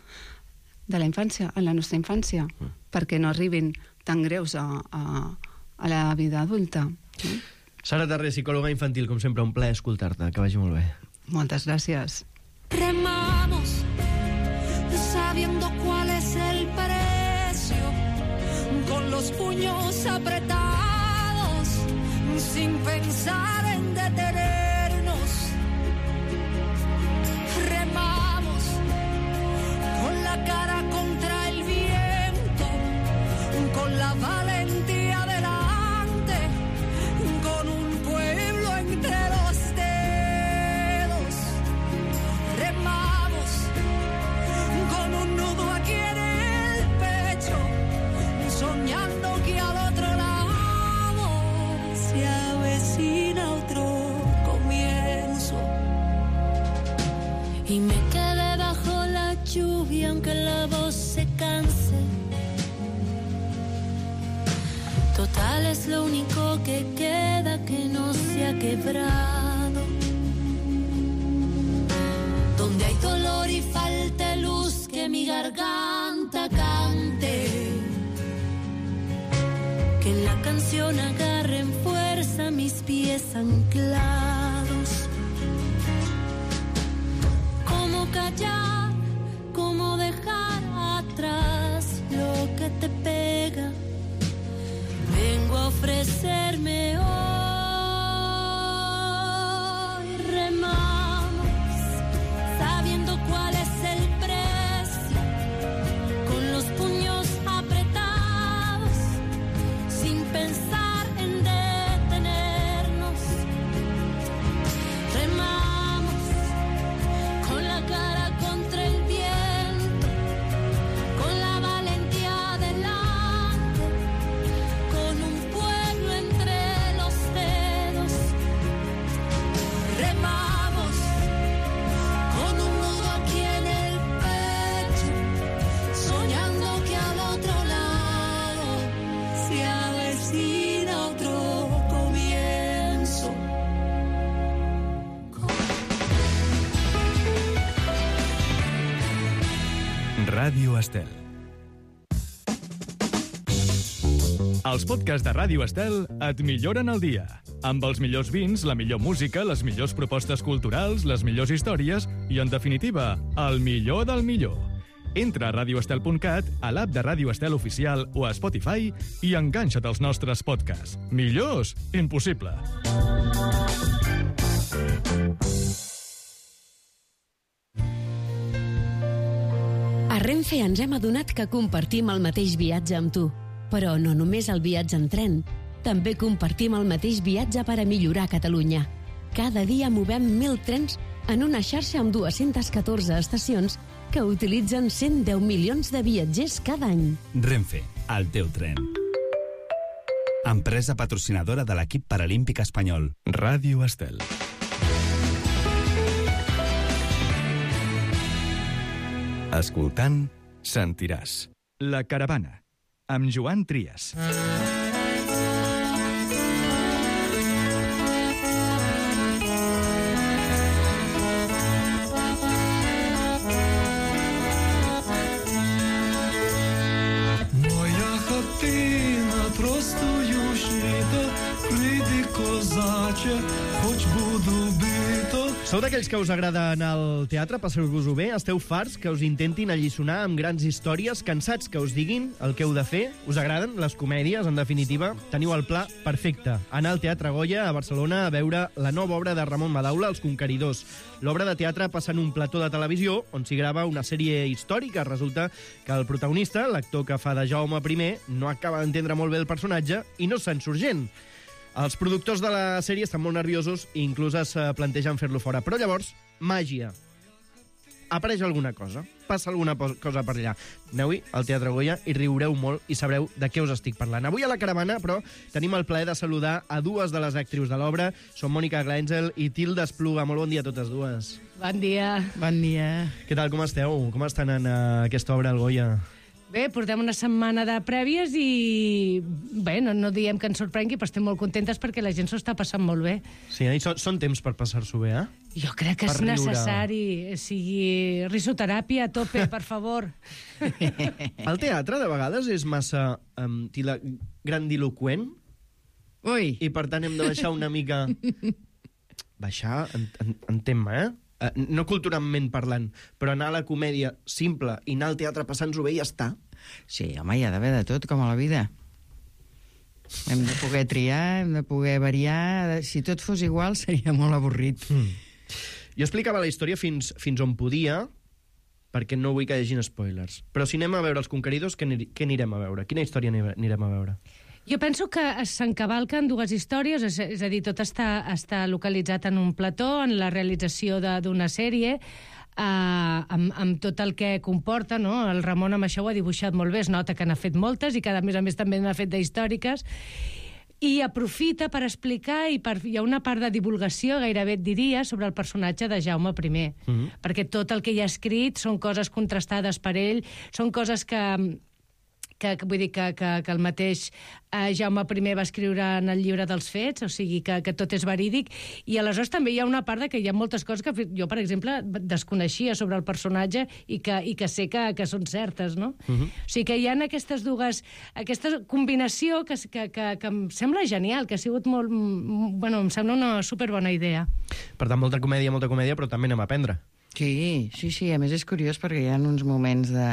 de la infància, en la nostra infància, mm. perquè no arribin tan greus a, a, a la vida adulta. No? Sara Tarré, psicòloga infantil, com sempre, un plaer escoltar-te. Que vagi molt bé. Moltes gràcies. Remamos sabiendo cuál es el precio, con los puños apretados, sin pensar en detenernos. Remamos con la cara contra el viento, con la valentía delante, con un pueblo entre los dedos. Remamos con un nudo aquí en el pecho, soñando que al otro lado se avecina otro comienzo. Y me quedé bajo la lluvia aunque la voz se canse. Total es lo único que queda que no se ha quebrado. Donde hay dolor y falta luz, que mi garganta cante. Que en la canción agarren fuerza mis pies anclados. Cómo callar, cómo dejar atrás lo que te pega. Vengo a ofrecerme hoy. Remamos sabiendo cuál es el precio, con los puños apretados, sin pensar en detenernos. Remamos con la cara contra el viento, con la valentía delante, con un pueblo entre los dedos. Remamos con un nudo aquí en el pecho, soñando que al otro lado se avecina otro comienzo. Ràdio Estel. Els podcasts de Ràdio Estel et milloren el dia. Amb els millors vins, la millor música, les millors propostes culturals, les millors històries i, en definitiva, el millor del millor. Entra a radio estel punt cat, a l'app de Ràdio Estel Oficial o a Spotify i enganxa't als nostres podcasts. Millors? Impossible. A Renfe ens hem adonat que compartim el mateix viatge amb tu. Però no només el viatge en tren. També compartim el mateix viatge per a millorar Catalunya. Cada dia movem mil trens en una xarxa amb dues-centes catorze estacions que utilitzen cent deu milions de viatgers cada any. Renfe, el teu tren. Empresa patrocinadora de l'equip paralímpic espanyol. Ràdio Estel. Escoltant, sentiràs. La caravana, amb Joan Trias. Sou d'aquells que us agrada anar al teatre, passar-vos-ho bé? Esteu farts que us intentin alliçonar amb grans històries, cansats que us diguin el que heu de fer? Us agraden les comèdies, en definitiva? Teniu el pla perfecte. Anar al Teatre Goya a Barcelona a veure la nova obra de Ramon Madaula, Els Conqueridors. L'obra de teatre passa en un plató de televisió on s'hi grava una sèrie històrica. Resulta que el protagonista, l'actor que fa de Jaume primer, no acaba d'entendre molt bé el personatge i no se'n surt gent. Els productors de la sèrie estan molt nerviosos i inclús es plantegen fer-lo fora. Però llavors, màgia. Apareix alguna cosa. Passa alguna cosa per allà. Aneu-hi al Teatre Goya i riureu molt i sabreu de què us estic parlant. Avui a la caravana, però, tenim el plaer de saludar a dues de les actrius de l'obra. Són Mònica Glàngel i Tilda Espluga. Molt bon dia a totes dues. Bon dia. Bon dia. Què tal, com esteu? Com estan en uh, aquesta obra al Goya? Bé, portem una setmana de prèvies i... Bé, no, no diem que ens sorprengui, però estem molt contentes perquè la gent s'ho està passant molt bé. Sí, i són, són temps per passar-s'ho bé, eh? Jo crec que per és riure. Necessari. O sigui, risoteràpia a tope, per favor. El teatre, de vegades, és massa um, tila, grandiloquent. Ui. I, per tant, hem de baixar una mica... Baixar, en, en, en tema, eh? Uh, no culturalment parlant, però anar a la comèdia simple i anar al teatre passant-s'ho bé i ja està. Sí, home, hi ha d'haver de tot, com a la vida. Hem de poder triar, hem de poder variar... Si tot fos igual, seria molt avorrit. Mm. Jo explicava la història fins, fins on podia, perquè no vull que hi hagin spoilers. Però si anem a veure Els Conqueridors, què, què anirem a veure? Quina història anirem a veure? Jo penso que s'encavalquen dues històries, és, és a dir, tot està, està localitzat en un plató, en la realització d'una sèrie, eh, amb, amb tot el que comporta, no? El Ramon amb això ho ha dibuixat molt bé, es nota que n'ha fet moltes i que, a més a més, també n'ha fet d'històriques, i aprofita per explicar, i per, hi ha una part de divulgació, gairebé et diria, sobre el personatge de Jaume primer, mm-hmm. perquè tot el que hi ha escrit són coses contrastades per ell, són coses que... Que, vull dir que, que, que el mateix eh, Jaume primer va escriure en el llibre dels fets, o sigui que, que tot és verídic, i aleshores també hi ha una part de que hi ha moltes coses que jo, per exemple, desconeixia sobre el personatge i que, i que sé que, que són certes, no? Uh-huh. O sigui que hi ha aquestes dues... aquesta combinació que, que, que, que em sembla genial, que ha sigut molt... Bueno, em sembla una superbona idea. Per tant, molta comèdia, molta comèdia, però també anem a aprendre. Sí, sí, sí, a més és curiós perquè hi ha uns moments de...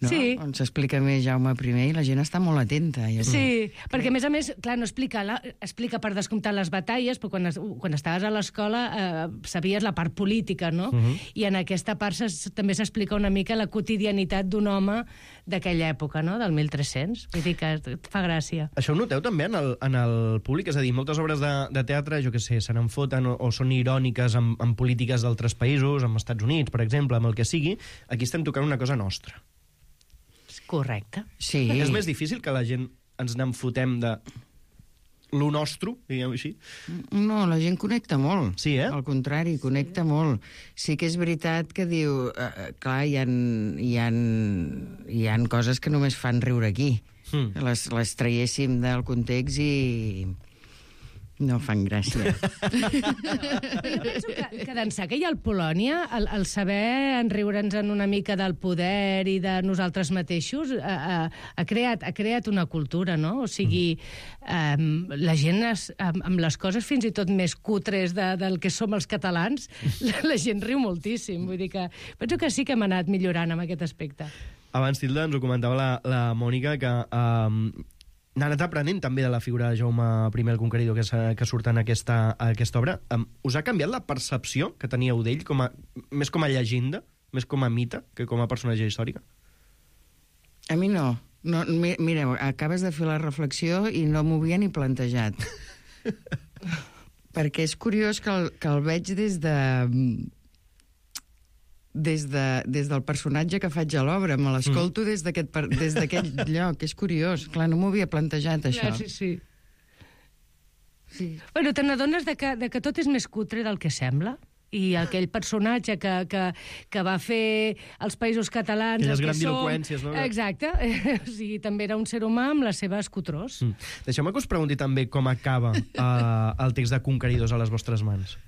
No? Sí. On s'explica més Jaume primer i la gent està molt atenta. Ja sí, crec. Perquè a més a més, clar, no explica, la, explica per descomptar les batalles, però quan, es, quan estaves a l'escola eh, sabies la part política, no? Uh-huh. I en aquesta part ses, també s'explica una mica la quotidianitat d'un home d'aquella època, no? Del mil tres-cents. Vull dir que et fa gràcia. Això ho noteu també en el, en el públic? És a dir, moltes obres de, de teatre, jo què sé, se n'enfoten o, o són iròniques amb, amb polítiques d'altres països, amb Estats Units, per exemple, amb el que sigui. Aquí estem tocant una cosa nostra. Correcte. Sí. És més difícil que la gent ens n'enfotem de lo nostre, diguem-ho així? No, la gent connecta molt. Sí, eh? Al contrari, connecta molt. Sí que és veritat que diu... Eh, clar, hi ha, hi, ha, hi ha coses que només fan riure aquí. Mm. Les, les traiéssim del context i... No fan gràcia. Jo penso que, que d'ençà que hi ha el Polònia, el, el saber enriure'ns en una mica del poder i de nosaltres mateixos ha, ha, ha, creat, ha creat una cultura, no? O sigui, um, la gent es, amb, amb les coses fins i tot més cutres de, del que som els catalans, la, la gent riu moltíssim. Vull dir que penso que sí que hem anat millorant en aquest aspecte. Abans, Tilda, ens ho comentava la, la Mònica, que um, n'ha anat aprenent també de la figura de Jaume I el Conqueridor que, que surt en aquesta, aquesta obra. Um, us ha canviat la percepció que teníeu d'ell com a, més com a llegenda, més com a mite, que com a personatge històrica? A mi no. no mi, mireu, acabes de fer la reflexió i no m'ho havia ni plantejat. Perquè és curiós que el, que el veig des de... Des, de, des del personatge que faig a l'obra, me l'escolto mm. des d'aquest des d'aquell lloc, és curiós. Clar, no m'ho havia plantejat, això. Ja, sí, sí. sí. Bueno, te n'adones de, que, de que tot és més cutre del que sembla, i aquell personatge que, que, que va fer els països catalans... Aquelles grandiloqüències, no? Exacte. O sigui, també era un ser humà amb les seves cutrós. Mm. Deixeu-me que us pregunti també com acaba uh, el text de Conqueridors a les vostres mans.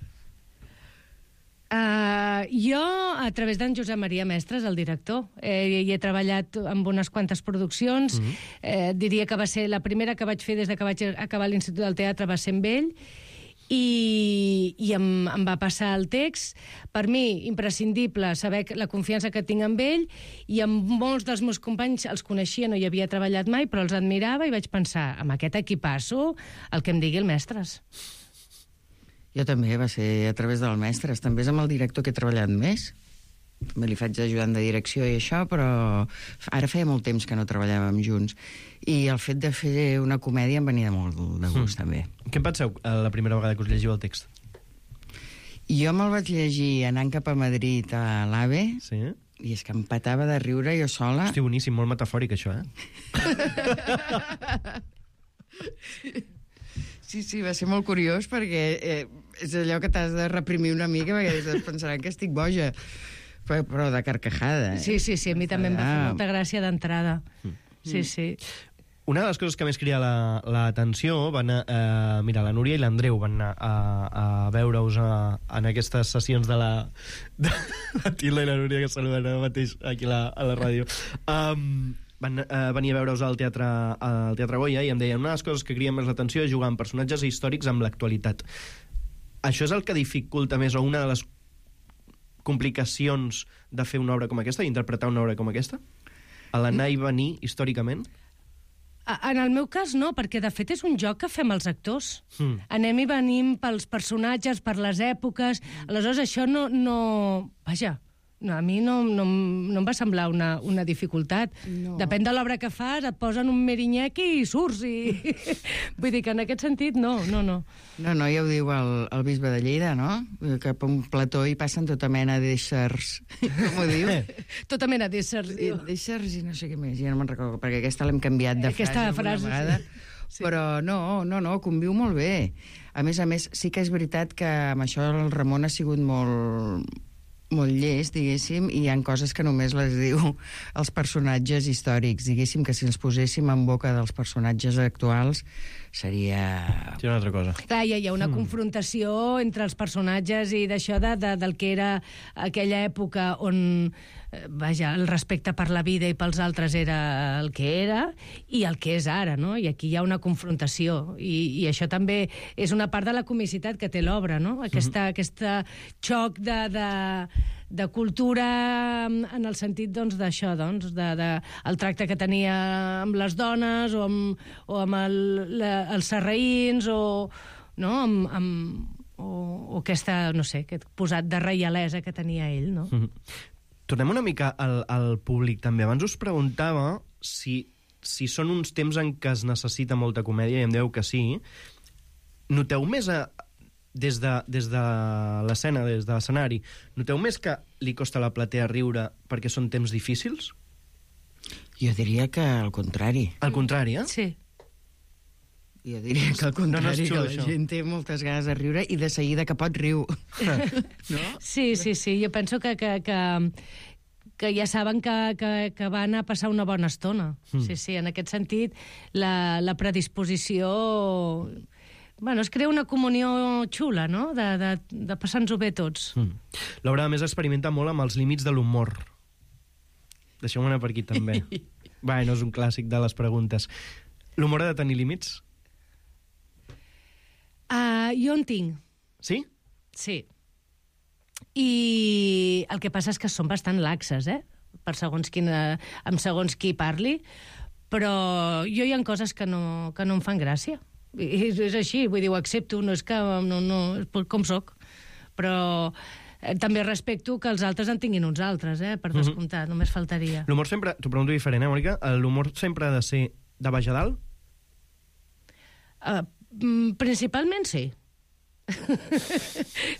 Uh, jo, a través d'en Josep Maria Mestres, el director, eh, hi he treballat amb unes quantes produccions. Mm -hmm. eh, diria que va ser la primera que vaig fer des de que vaig acabar l'Institut del Teatre, va ser amb ell, i, i em, em va passar el text. Per mi, imprescindible saber la confiança que tinc amb ell, i amb molts dels meus companys els coneixia, no hi havia treballat mai, però els admirava, i vaig pensar, amb aquest equipasso, el que em digui el Mestres. Jo també, va ser a través del Mestres. També és amb el director que he treballat més. També li faig d'ajudant de direcció i això, però ara feia molt temps que no treballàvem junts. I el fet de fer una comèdia em venia molt de gust, mm. també. Què en penseu la primera vegada que us llegiu el text? Jo me'l vaig llegir anant cap a Madrid a l'AVE, sí. I és que em petava de riure jo sola. Hosti, boníssim, molt metafòric, això, eh? Sí, sí, va ser molt curiós perquè eh, és allò que t'has de reprimir una mica perquè es pensaran que estic boja, però, però de carcajada. Eh? Sí, sí, sí, a mi també em va fer molta gràcia d'entrada. Sí, Mm. sí. Una de les coses que més crida l'atenció, la, van eh, mira, la Núria i l'Andreu van anar a, a veure-us a, en aquestes sessions de la, de la Tilda i la Núria, que saluden ara mateix aquí la, a la ràdio. Um, van eh, venir a veure-us al teatre, al teatre Goya, i em deien, una de les coses que criden més l'atenció és jugar amb personatges històrics amb l'actualitat. Això és el que dificulta més, o una de les complicacions de fer una obra com aquesta, d'interpretar una obra com aquesta? A l'anar i venir històricament? En el meu cas no, perquè de fet és un joc que fem els actors. Mm. Anem i venim pels personatges, per les èpoques, aleshores això no... no... Vaja, no, a mi no, no, no em va semblar una, una dificultat. No. Depèn de l'obra que fas, et posen un merinyequi i surts. I... Vull dir que en aquest sentit, no, no, no. No, no, ja ho diu el, el bisbe de Lleida, no? Que per un plató hi passen tota mena d'éssers. Com ho diu? Tota mena d'éssers, diu. D'éssers i no sé què més, ja no me'n recordo, perquè aquesta l'hem canviat de aquesta frase, frase una vegada. Sí. Però no, no, no, conviu molt bé. A més a més, sí que és veritat que amb això el Ramon ha sigut molt... molt llest, diguéssim, i hi ha coses que només les diu els personatges històrics, diguéssim, que si ens poséssim en boca dels personatges actuals seria... Sí, una altra cosa. Clar, hi ha una mm. confrontació entre els personatges i d'això de, de, del que era aquella època on, vaja, el respecte per la vida i pels altres era el que era i el que és ara, no? I aquí hi ha una confrontació, i, i això també és una part de la comicitat que té l'obra, no? Aquesta, mm-hmm. aquesta xoc de... de de cultura en el sentit doncs, d'això, doncs, de, de, el tracte que tenia amb les dones o amb, o amb el, la, els sarraïns o, no? amb, amb, o, o aquesta, no sé, aquest posat de reialesa que tenia ell. No? Mm-hmm. Tornem una mica al, al públic també. Abans us preguntava si, si són uns temps en què es necessita molta comèdia, i em deu que sí. Noteu més a... des de, des de l'escena, des de l'escenari, noteu més que li costa a la platea riure perquè són temps difícils? Jo diria que al contrari. Al contrari, eh? Sí. Jo diria que al contrari, no, no xulo, que la això. Gent té moltes ganes de riure i de seguida que pot riu. No? Sí, sí, sí. Jo penso que... que, que... que ja saben que, que, que van a passar una bona estona. Mm. Sí, sí, en aquest sentit, la, la predisposició... Bueno, es crea una comunió xula, no?, de, de, de passar-nos-ho bé tots. Mm. L'obra, a més, experimenta molt amb els límits de l'humor. Deixeu-me anar per aquí, també. Bueno, és un clàssic de les preguntes. L'humor ha de tenir límits? Uh, jo en tinc. Sí? Sí. I el que passa és que són bastant laxes, eh?, per segons quina, amb segons qui parli, però jo hi ha coses que no, que no em fan gràcia. I és, és així, vull dir, ho accepto, no és que... No, no, és com soc. Però eh, també respecto que els altres en tinguin uns altres, eh, per descomptar, mm-hmm. només faltaria. L'humor sempre... T'ho pregunto diferent, eh, Mònica? L'humor sempre ha de ser de baix a dalt? Uh, principalment sí.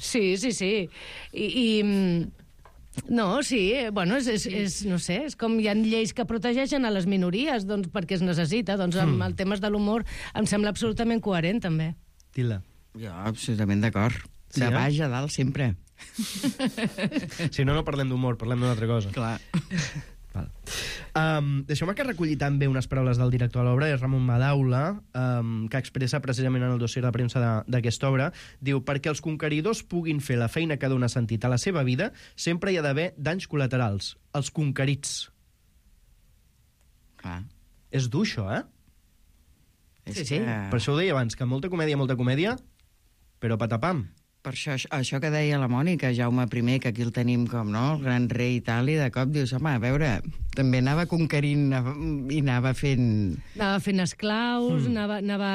sí, sí, sí. I... i no, sí, bueno, és, és, és, no sé, és com hi ha lleis que protegeixen a les minories, doncs perquè es necessita, doncs amb mm. el temes de l'humor em sembla absolutament coherent, també. Tila. Jo, absolutament d'acord. Sí, de eh? baix a dalt, sempre. Si no, no parlem d'humor, parlem d'una altra cosa. Clar. Val. Um, Deixeu-me que recolli també unes paraules del director de l'obra, és Ramon Madaula, um, que expressa precisament en el dossier de premsa d'aquesta obra. Diu, perquè els conqueridors puguin fer la feina que dona sentit a la seva vida, sempre hi ha d'haver danys col·laterals, els conquerits. Clar. És dur, això, eh? Sí, sí. Que... Per això ho deia abans, que molta comèdia, molta comèdia, però patapam. Per això, això que deia la Mònica, Jaume I, que aquí el tenim com, no?, el gran rei i tal, i de cop dius, home, a veure, també anava conquerint i anava fent... Anava fent esclaus, mm. anava, anava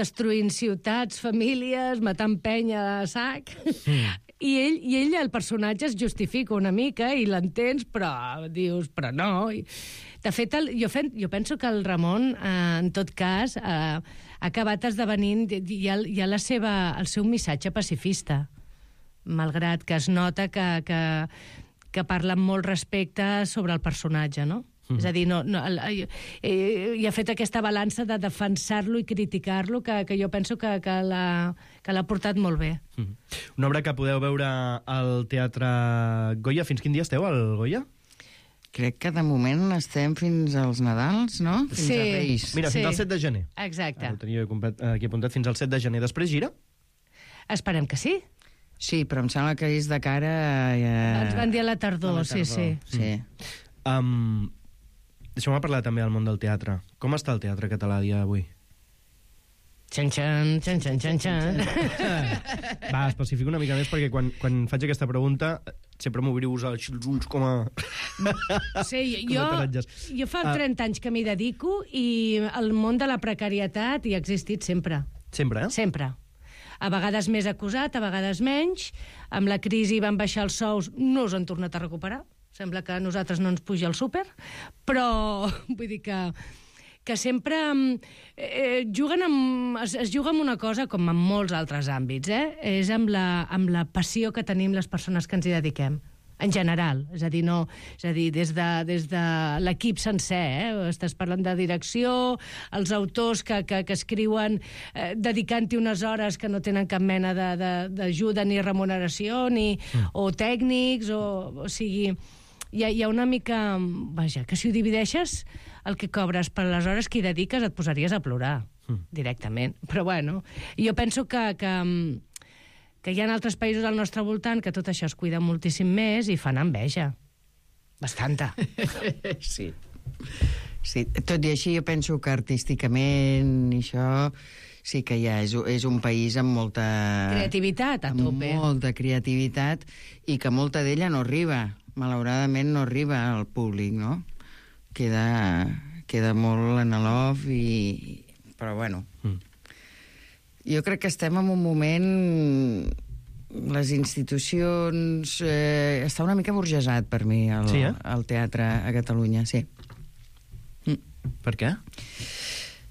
destruint ciutats, famílies, matant penya a sac... Mm. I ell, I ell, el personatge, es justifica una mica i l'entens, però dius, però no... I... De fet, el, jo, fen, jo penso que el Ramon, eh, en tot cas, eh, ha acabat esdevenint ja, ja la seva, el seu missatge pacifista, malgrat que es nota que, que, que parla amb molt respecte sobre el personatge, no? Mm. És a dir, no, no, el, eh, i ha fet aquesta balança de defensar-lo i criticar-lo, que, que jo penso que, que l'ha portat molt bé. Mm. Una obra que podeu veure al Teatre Goya. Fins quin dia esteu al Goya? Crec que de moment estem fins als Nadals, no? Fins sí, a Reis. Mira, fins sí. al set de gener. Exacte. Ho tenia aquí apuntat, fins al set de gener. Després gira? Esperem que sí. Sí, però em sembla que és de cara... Ja... Ens van dir a la tardor, a la tardor. sí, sí. sí. Mm. Um, Deixeu-me parlar també del món del teatre. Com està el teatre català a dia d'avui? Xan-xan, xan-xan, xan-xan. Va, especifico una mica més, perquè quan, quan faig aquesta pregunta sempre m'obriu els ulls com a... Sí, jo, jo fa trenta anys que m'hi dedico i el món de la precarietat hi ha existit sempre. Sempre, eh? Sempre. A vegades més acusat, a vegades menys. Amb la crisi van baixar els sous, no us han tornat a recuperar. Sembla que a nosaltres no ens puja el súper, però vull dir que... que sempre eh, juguen amb, es, es juga amb una cosa com en molts altres àmbits, eh? És amb la, amb la passió que tenim les persones que ens hi dediquem, en general. És a dir, no, és a dir des de, des de l'equip sencer, eh? Estàs parlant de direcció, els autors que, que, que escriuen eh, dedicant-hi unes hores que no tenen cap mena d'ajuda ni remuneració, ni, mm. o tècnics, o, o sigui... Hi ha, hi ha una mica... Vaja, que si ho divideixes, el que cobres per les hores que hi dediques et posaries a plorar, mm. directament. Però bueno, jo penso que, que, que hi ha altres països al nostre voltant que tot això es cuida moltíssim més i fan enveja. Bastanta. Sí. Sí. Tot i així, jo penso que artísticament i això... Sí que ja és, és un país amb molta... Creativitat, a tope. Amb molta creativitat i que molta d'ella no arriba. Malauradament no arriba al públic, no? Queda, queda molt en l'off i... Però bueno... Mm. Jo crec que estem en un moment... Les institucions... Eh, està una mica burgesat per mi el, sí, eh? el teatre a Catalunya, sí. Mm. Per què?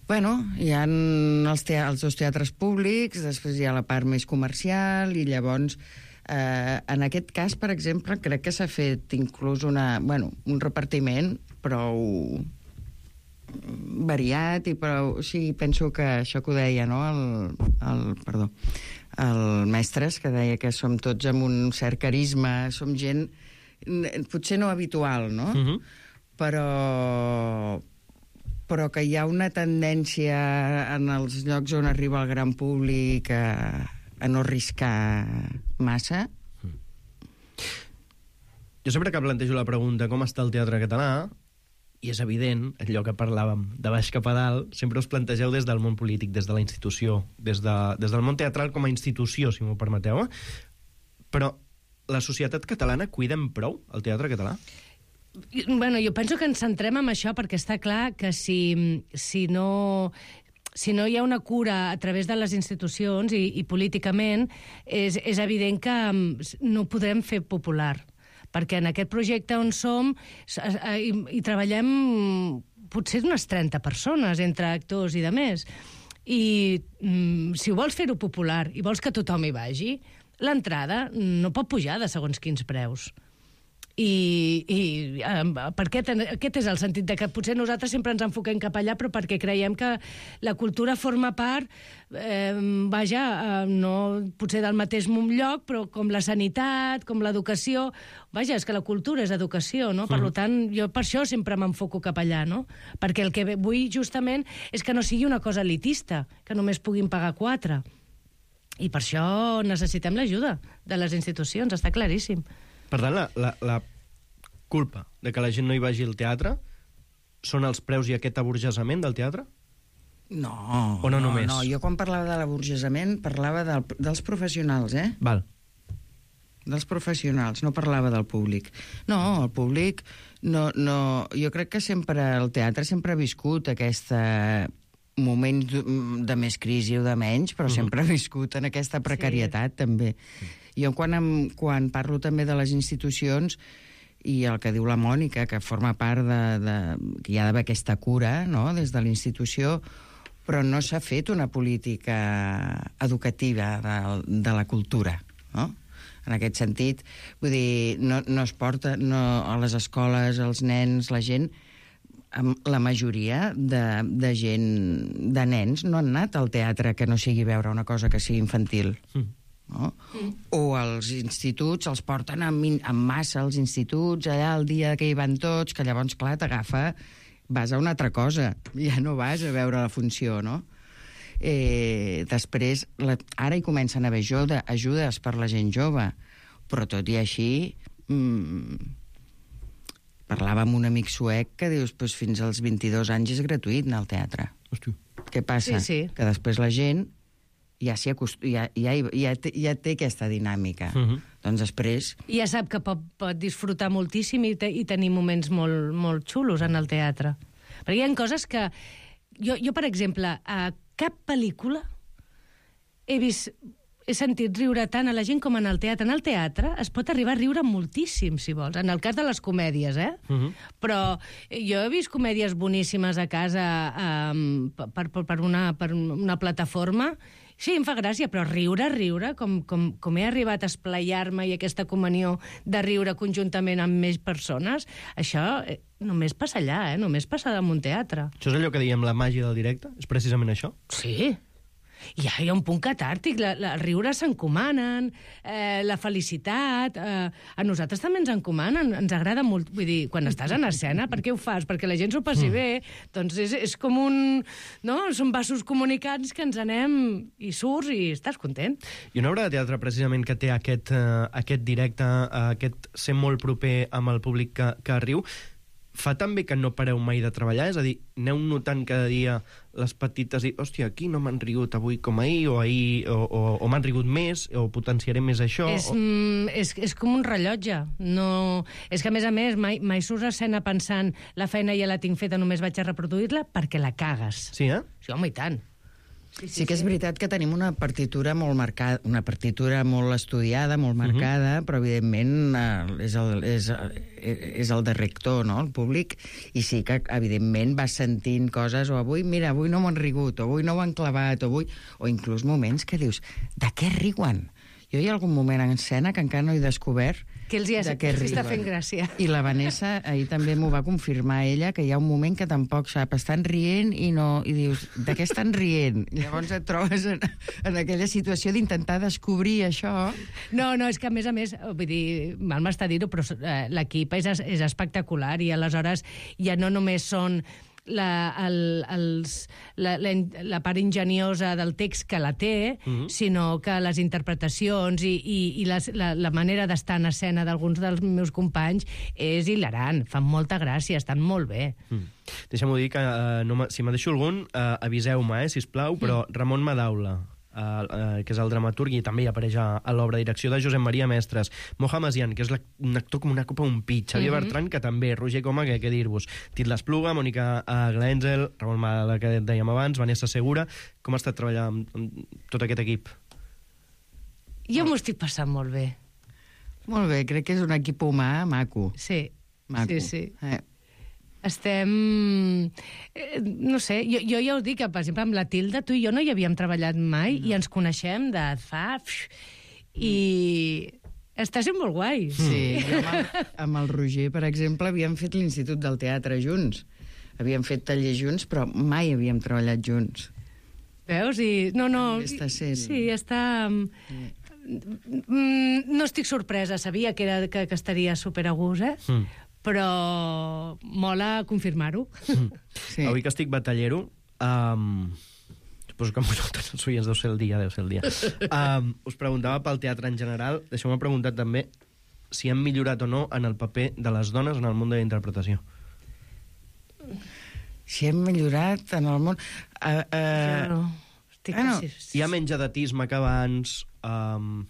Bueno, hi ha els, te els dos teatres públics, després hi ha la part més comercial i llavors... Eh, en aquest cas, per exemple, crec que s'ha fet inclús una, bueno, un repartiment prou variat i prou... O sigui, penso que això que ho deia, no?, el, el, perdó, el Mestres, que deia que som tots amb un cert carisma, som gent potser no habitual, no? Uh-huh. Però però que hi ha una tendència en els llocs on arriba el gran públic a, a no arriscar massa. Jo sempre que plantejo la pregunta com està el teatre català, i és evident, allò que parlàvem de baix cap a dalt, sempre us plantegeu des del món polític, des de la institució, des, de, des del món teatral com a institució, si m'ho permeteu. Però la societat catalana cuidem prou el teatre català? Bueno, jo penso que ens centrem en això perquè està clar que si, si no... si no hi ha una cura a través de les institucions i, i políticament, és, és evident que no ho podrem fer popular. Perquè en aquest projecte on som hi, hi treballem potser unes trenta persones, entre actors i de més. I mm, si vols fer-ho popular i vols que tothom hi vagi, l'entrada no pot pujar de segons quins preus. I, i eh, per què ten, aquest és el sentit de que potser nosaltres sempre ens enfoquem cap allà, però perquè creiem que la cultura forma part, eh, vaja, eh, no potser del mateix lloc, però com la sanitat, com l'educació. Vaja, és que la cultura és educació, no? Per mm. tant, jo per això sempre m'enfoco cap allà, no? Perquè el que vull justament és que no sigui una cosa elitista, que només puguin pagar quatre. I per això necessitem l'ajuda de les institucions, està claríssim. Per tant, la, la, la culpa de que la gent no hi vagi al teatre són els preus i aquest aburgesament del teatre? No, o no, no, només? no. Jo quan parlava de l'aburgesament parlava del, dels professionals, eh? Val. Dels professionals, no parlava del públic. No, el públic... No, no, jo crec que sempre el teatre sempre ha viscut aquesta moments de més crisi o de menys, però uh-huh. sempre ha viscut en aquesta precarietat, sí. també. Jo quan, em, quan parlo també de les institucions i el que diu la Mònica, que forma part de... de que hi ha d'haver aquesta cura, no?, des de la institució, però no s'ha fet una política educativa de, de la cultura, no? En aquest sentit, vull dir, no, no es porta no, a les escoles, els nens, la gent... La majoria de, de gent, de nens, no han anat al teatre que no sigui veure una cosa que sigui infantil. Mm. No? Mm. O als instituts els porten en, en massa als instituts, allà el dia que hi van tots, que llavors, clar, t'agafa, vas a una altra cosa, ja no vas a veure la funció, no? Eh, després, la, ara hi comencen a haver ajuda, ajudes per la gent jove, però tot i així... Mmm, parlava amb un amic suec que dius, pues, fins als vint-i-dos anys és gratuït anar al teatre. Hosti. Què passa? Sí, sí. Que després la gent ja, acost... ja, ja, ja, té, ja té aquesta dinàmica. Uh-huh. Doncs després... I ja sap que pot, pot disfrutar moltíssim i, te, i tenir moments molt, molt xulos en el teatre. Perquè hi ha coses que... Jo, jo per exemple, a cap pel·lícula he vist... he sentit riure tant a la gent com en el teatre. En el teatre es pot arribar a riure moltíssim, si vols, en el cas de les comèdies, eh? Uh-huh. Però jo he vist comèdies boníssimes a casa um, per, per, per, una, per una plataforma. Sí, em fa gràcia, però riure, riure, com, com, com he arribat a esplaiar-me i aquesta comunió de riure conjuntament amb més persones, això eh, només passa allà, eh? Només passa en un teatre. Això és allò que diem la màgia del directe? És precisament això? Sí. I hi ha un punt catàrtic, la, la, els riures s'encomanen, eh, la felicitat, eh, a nosaltres també ens encomanen, ens agrada molt, vull dir, quan estàs en escena, per què ho fas? Perquè la gent s'ho passi mm. bé, doncs és, és com un... no? Són vasos comunicants que ens anem i surts i estàs content. I una obra de teatre, precisament, que té aquest, uh, aquest directe, uh, aquest ser molt proper amb el públic que, que riu, fa també que no pareu mai de treballar? És a dir, aneu notant cada dia les petites i, hòstia, aquí no m'han rigut avui com ahir, o ahir, o, o, o m'han rigut més, o potenciaré més això... És, o... mm, és, és com un rellotge. No... És que, a més a més, mai, mai surts a escena pensant la feina ja la tinc feta, només vaig a reproduir-la, perquè la cagues. Sí, eh? Sí, home, i tant. Sí, sí, sí que és veritat que tenim una partitura molt marcada, una partitura molt estudiada, molt marcada, uh-huh. però evidentment eh, és, el, és, és el de rector, no?, el públic, i sí que evidentment vas sentint coses, o avui, mira, avui no m'han rigut, o avui no ho han clavat, o avui... o inclús moments que dius, de què riuen? Jo hi ha algun moment en escena que encara no he descobert que els hi ha, de què riuen. Està fent gràcia. I la Vanessa ahir també m'ho va confirmar ella, que hi ha un moment que tampoc sap, estan rient i no... I dius, de què estan rient? I llavors et trobes en, en aquella situació d'intentar descobrir això. No, no, és que a més a més, vull dir, mal m'està dir-ho, però eh, l'equip és, és espectacular i aleshores ja no només són la, el, els, la, la, la part enginyosa del text que la té, mm-hmm. sinó que les interpretacions i, i, i les, la, la manera d'estar en escena d'alguns dels meus companys és hilarant, fan molta gràcia, estan molt bé. Mm. Deixa'm-ho dir que uh, no si me deixo algun, uh, aviseu-me, eh, sisplau, però mm. Ramon Madaula, uh, uh, que és el dramaturg i també hi apareix a, a l'obra, direcció de Josep Maria Mestres, Mohamed Zian, que és la, un actor com una copa un pit, Xavier mm-hmm. Bertran, que també, Roger Coma, que què dir-vos, Titla Espluga, Mònica uh, Glenzel, Ramon Madaula, que dèiem abans, Vanessa Segura. Com ha estat treballar amb, amb tot aquest equip? Jo m'ho estic passant molt bé. Molt bé, crec que és un equip humà maco. Sí, maco. sí, sí. Eh. Estem... Eh, no sé, jo, jo ja us dic que, per exemple, amb la Tilda, tu i jo no hi havíem treballat mai no. i ens coneixem de fa... I està sent molt guai. Sí, jo amb el, amb el Roger, per exemple, havíem fet l'Institut del Teatre junts. Havíem fet taller junts, però mai havíem treballat junts. Veus? I... No, no... Està sent... Sí, està... Mm, no estic sorpresa, sabia que, era, que, que estaria super a gust, eh? Mm. Però mola confirmar-ho. Mm. Sí. Avui que estic batallero, um, suposo que amb tots els oients deu ser el dia, deu ser el dia. Um, us preguntava pel teatre en general, deixeu-me preguntar també si hem millorat o no en el paper de les dones en el món de la interpretació. Si hem millorat en el món... Uh, uh... no. Estic ah, no. Hi ha menys edatisme que abans, um,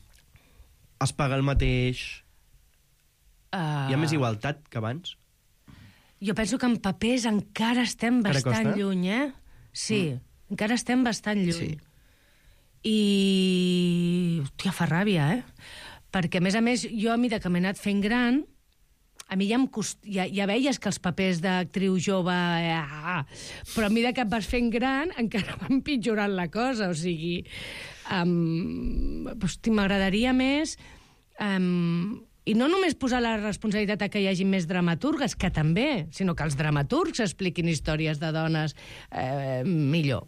es paga el mateix... Uh... Hi ha més igualtat que abans? Jo penso que en papers encara estem Encara bastant costa? lluny, eh? Sí, mm. encara estem bastant lluny. Sí. I... Hòstia, fa ràbia, eh? Perquè, a més a més, jo a mesura que m'he anat fent gran, a mi ja, em cost... ja, ja veies que els papers d'actriu jove... Ah, però a mesura que et vas fent gran, encara va empitjorant la cosa, o sigui... Um, hosti, m'agradaria més... Um, I no només posar la responsabilitat a que hi hagi més dramaturgues, que també, sinó que els dramaturgs expliquin històries de dones eh, millor.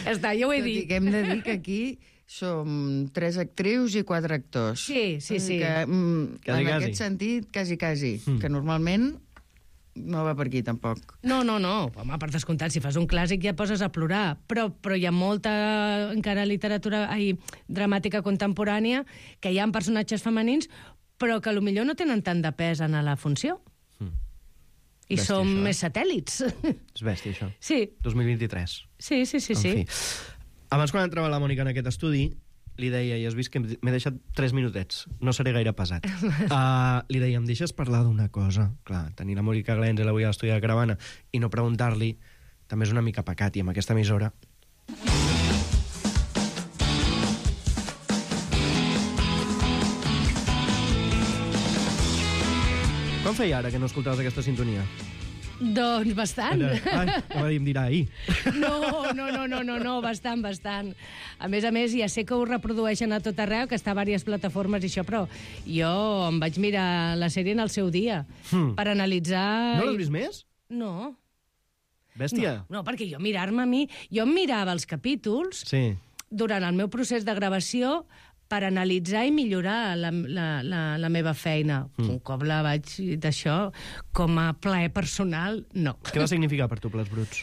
Ja està, jo ho he Tot dit. i que hem de dir que aquí som tres actrius i quatre actors. Sí, sí, sí. Que, mm, Quasi, en quasi. aquest sentit, quasi, quasi. Mm. Que normalment no va per aquí, tampoc. No, no, no. Home, per descomptat, si fas un clàssic ja poses a plorar. Però, però hi ha molta, encara, literatura ai, dramàtica contemporània que hi ha personatges femenins però que potser no tenen tant de pes en la funció. Mm. I Bèstia, som això, eh? més satèl·lits. És bèstia, això. Sí. dos mil vint-i-tres. Sí, sí, sí. En sí. fi. Abans, quan entrava la Mònica en aquest estudi, li deia, i has vist que m'he deixat tres minutets, no seré gaire pesat. Uh, li deia, em deixes parlar d'una cosa? Clar, tenir la Mònica Glenzel avui a l'estudi de Caravana i no preguntar-li també és una mica pecat, i amb aquesta emissora... Quan feia ara que no escoltaves aquesta sintonia? Doncs bastant. Ai, no em dirà ahir. No, no, no, no, no, no, bastant, bastant. A més a més, ja sé que ho reprodueixen a tot arreu, que està a diverses plataformes i això, però jo em vaig mirar la sèrie en el seu dia, hmm. per analitzar... No l'has vist més? No. Bèstia. No, no, perquè jo mirar-me a mi... Jo em mirava els capítols sí. durant el meu procés de gravació per analitzar i millorar la, la, la, la meva feina. Mm. Un cop la vaig d'això, com a plaer personal, no. Què va significar per tu, Plats Bruts?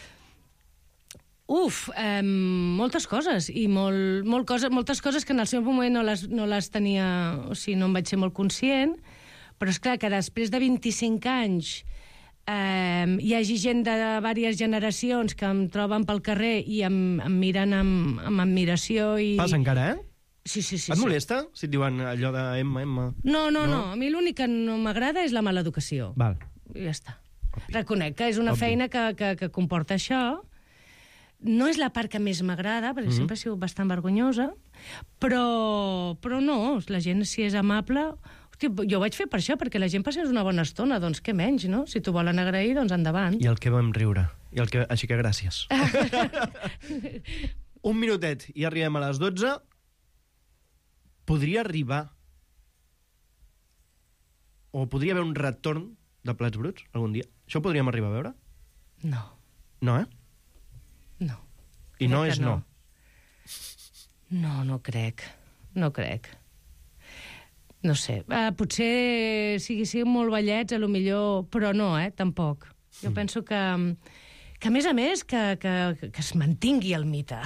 Uf, eh, moltes coses, i molt, molt cosa, moltes coses que en el seu moment no les, no les tenia... O sigui, no em vaig ser molt conscient, però és clar que després de vint-i-cinc anys eh, hi hagi gent de diverses generacions que em troben pel carrer i em, em miren amb, amb admiració i... Passa encara, eh? Sí, sí, sí. Et sí. molesta si et diuen allò de Emma, Emma? No, no, no. no. A mi l'únic que no m'agrada és la mala educació. Val. I ja està. Obvi. Reconec que és una Obvi. feina que, que, que comporta això. No és la part que més m'agrada, perquè mm-hmm. sempre he sigut bastant vergonyosa, però, però no, la gent, si és amable... Hòstia, jo ho vaig fer per això, perquè la gent passés una bona estona, doncs què menys, no? Si t'ho volen agrair, doncs endavant. I el que vam riure. I el que... Així que gràcies. Un minutet i arribem a les dotze. Podria arribar o podria haver un retorn de Plats Bruts algun dia? Això ho podríem arribar a veure? No. No, eh? No. I no Crec és que no. No, no crec. No crec. no sé, uh, potser siguéssim molt ballets, a lo millor, però no, eh, tampoc. Jo mm. penso que... que, a més a més, que, que, que es mantingui el mite.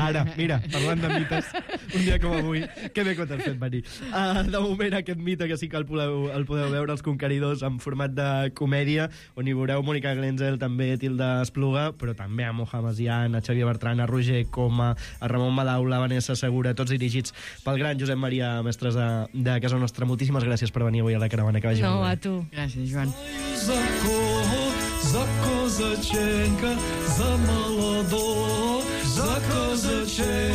Ara, mira, parlant de mites, un dia com avui, que bé que t'has fet venir. Uh, de moment, aquest mite, que sí que el podeu, el podeu veure, Els Conqueridors, en format de comèdia, on hi veureu Mònica Glenzel, també Tilda Espluga, però també a Moja Masian, a Xavier Bertran, a Roger Coma, a Ramon Madaula, a Vanessa Segura, tots dirigits pel gran Josep Maria Mestres de, de casa nostra. Moltíssimes gràcies per venir avui a la caravana. Que vagi no, molt bé. A tu. Gràcies, Joan. За козаченька, за молодого, за козаченька.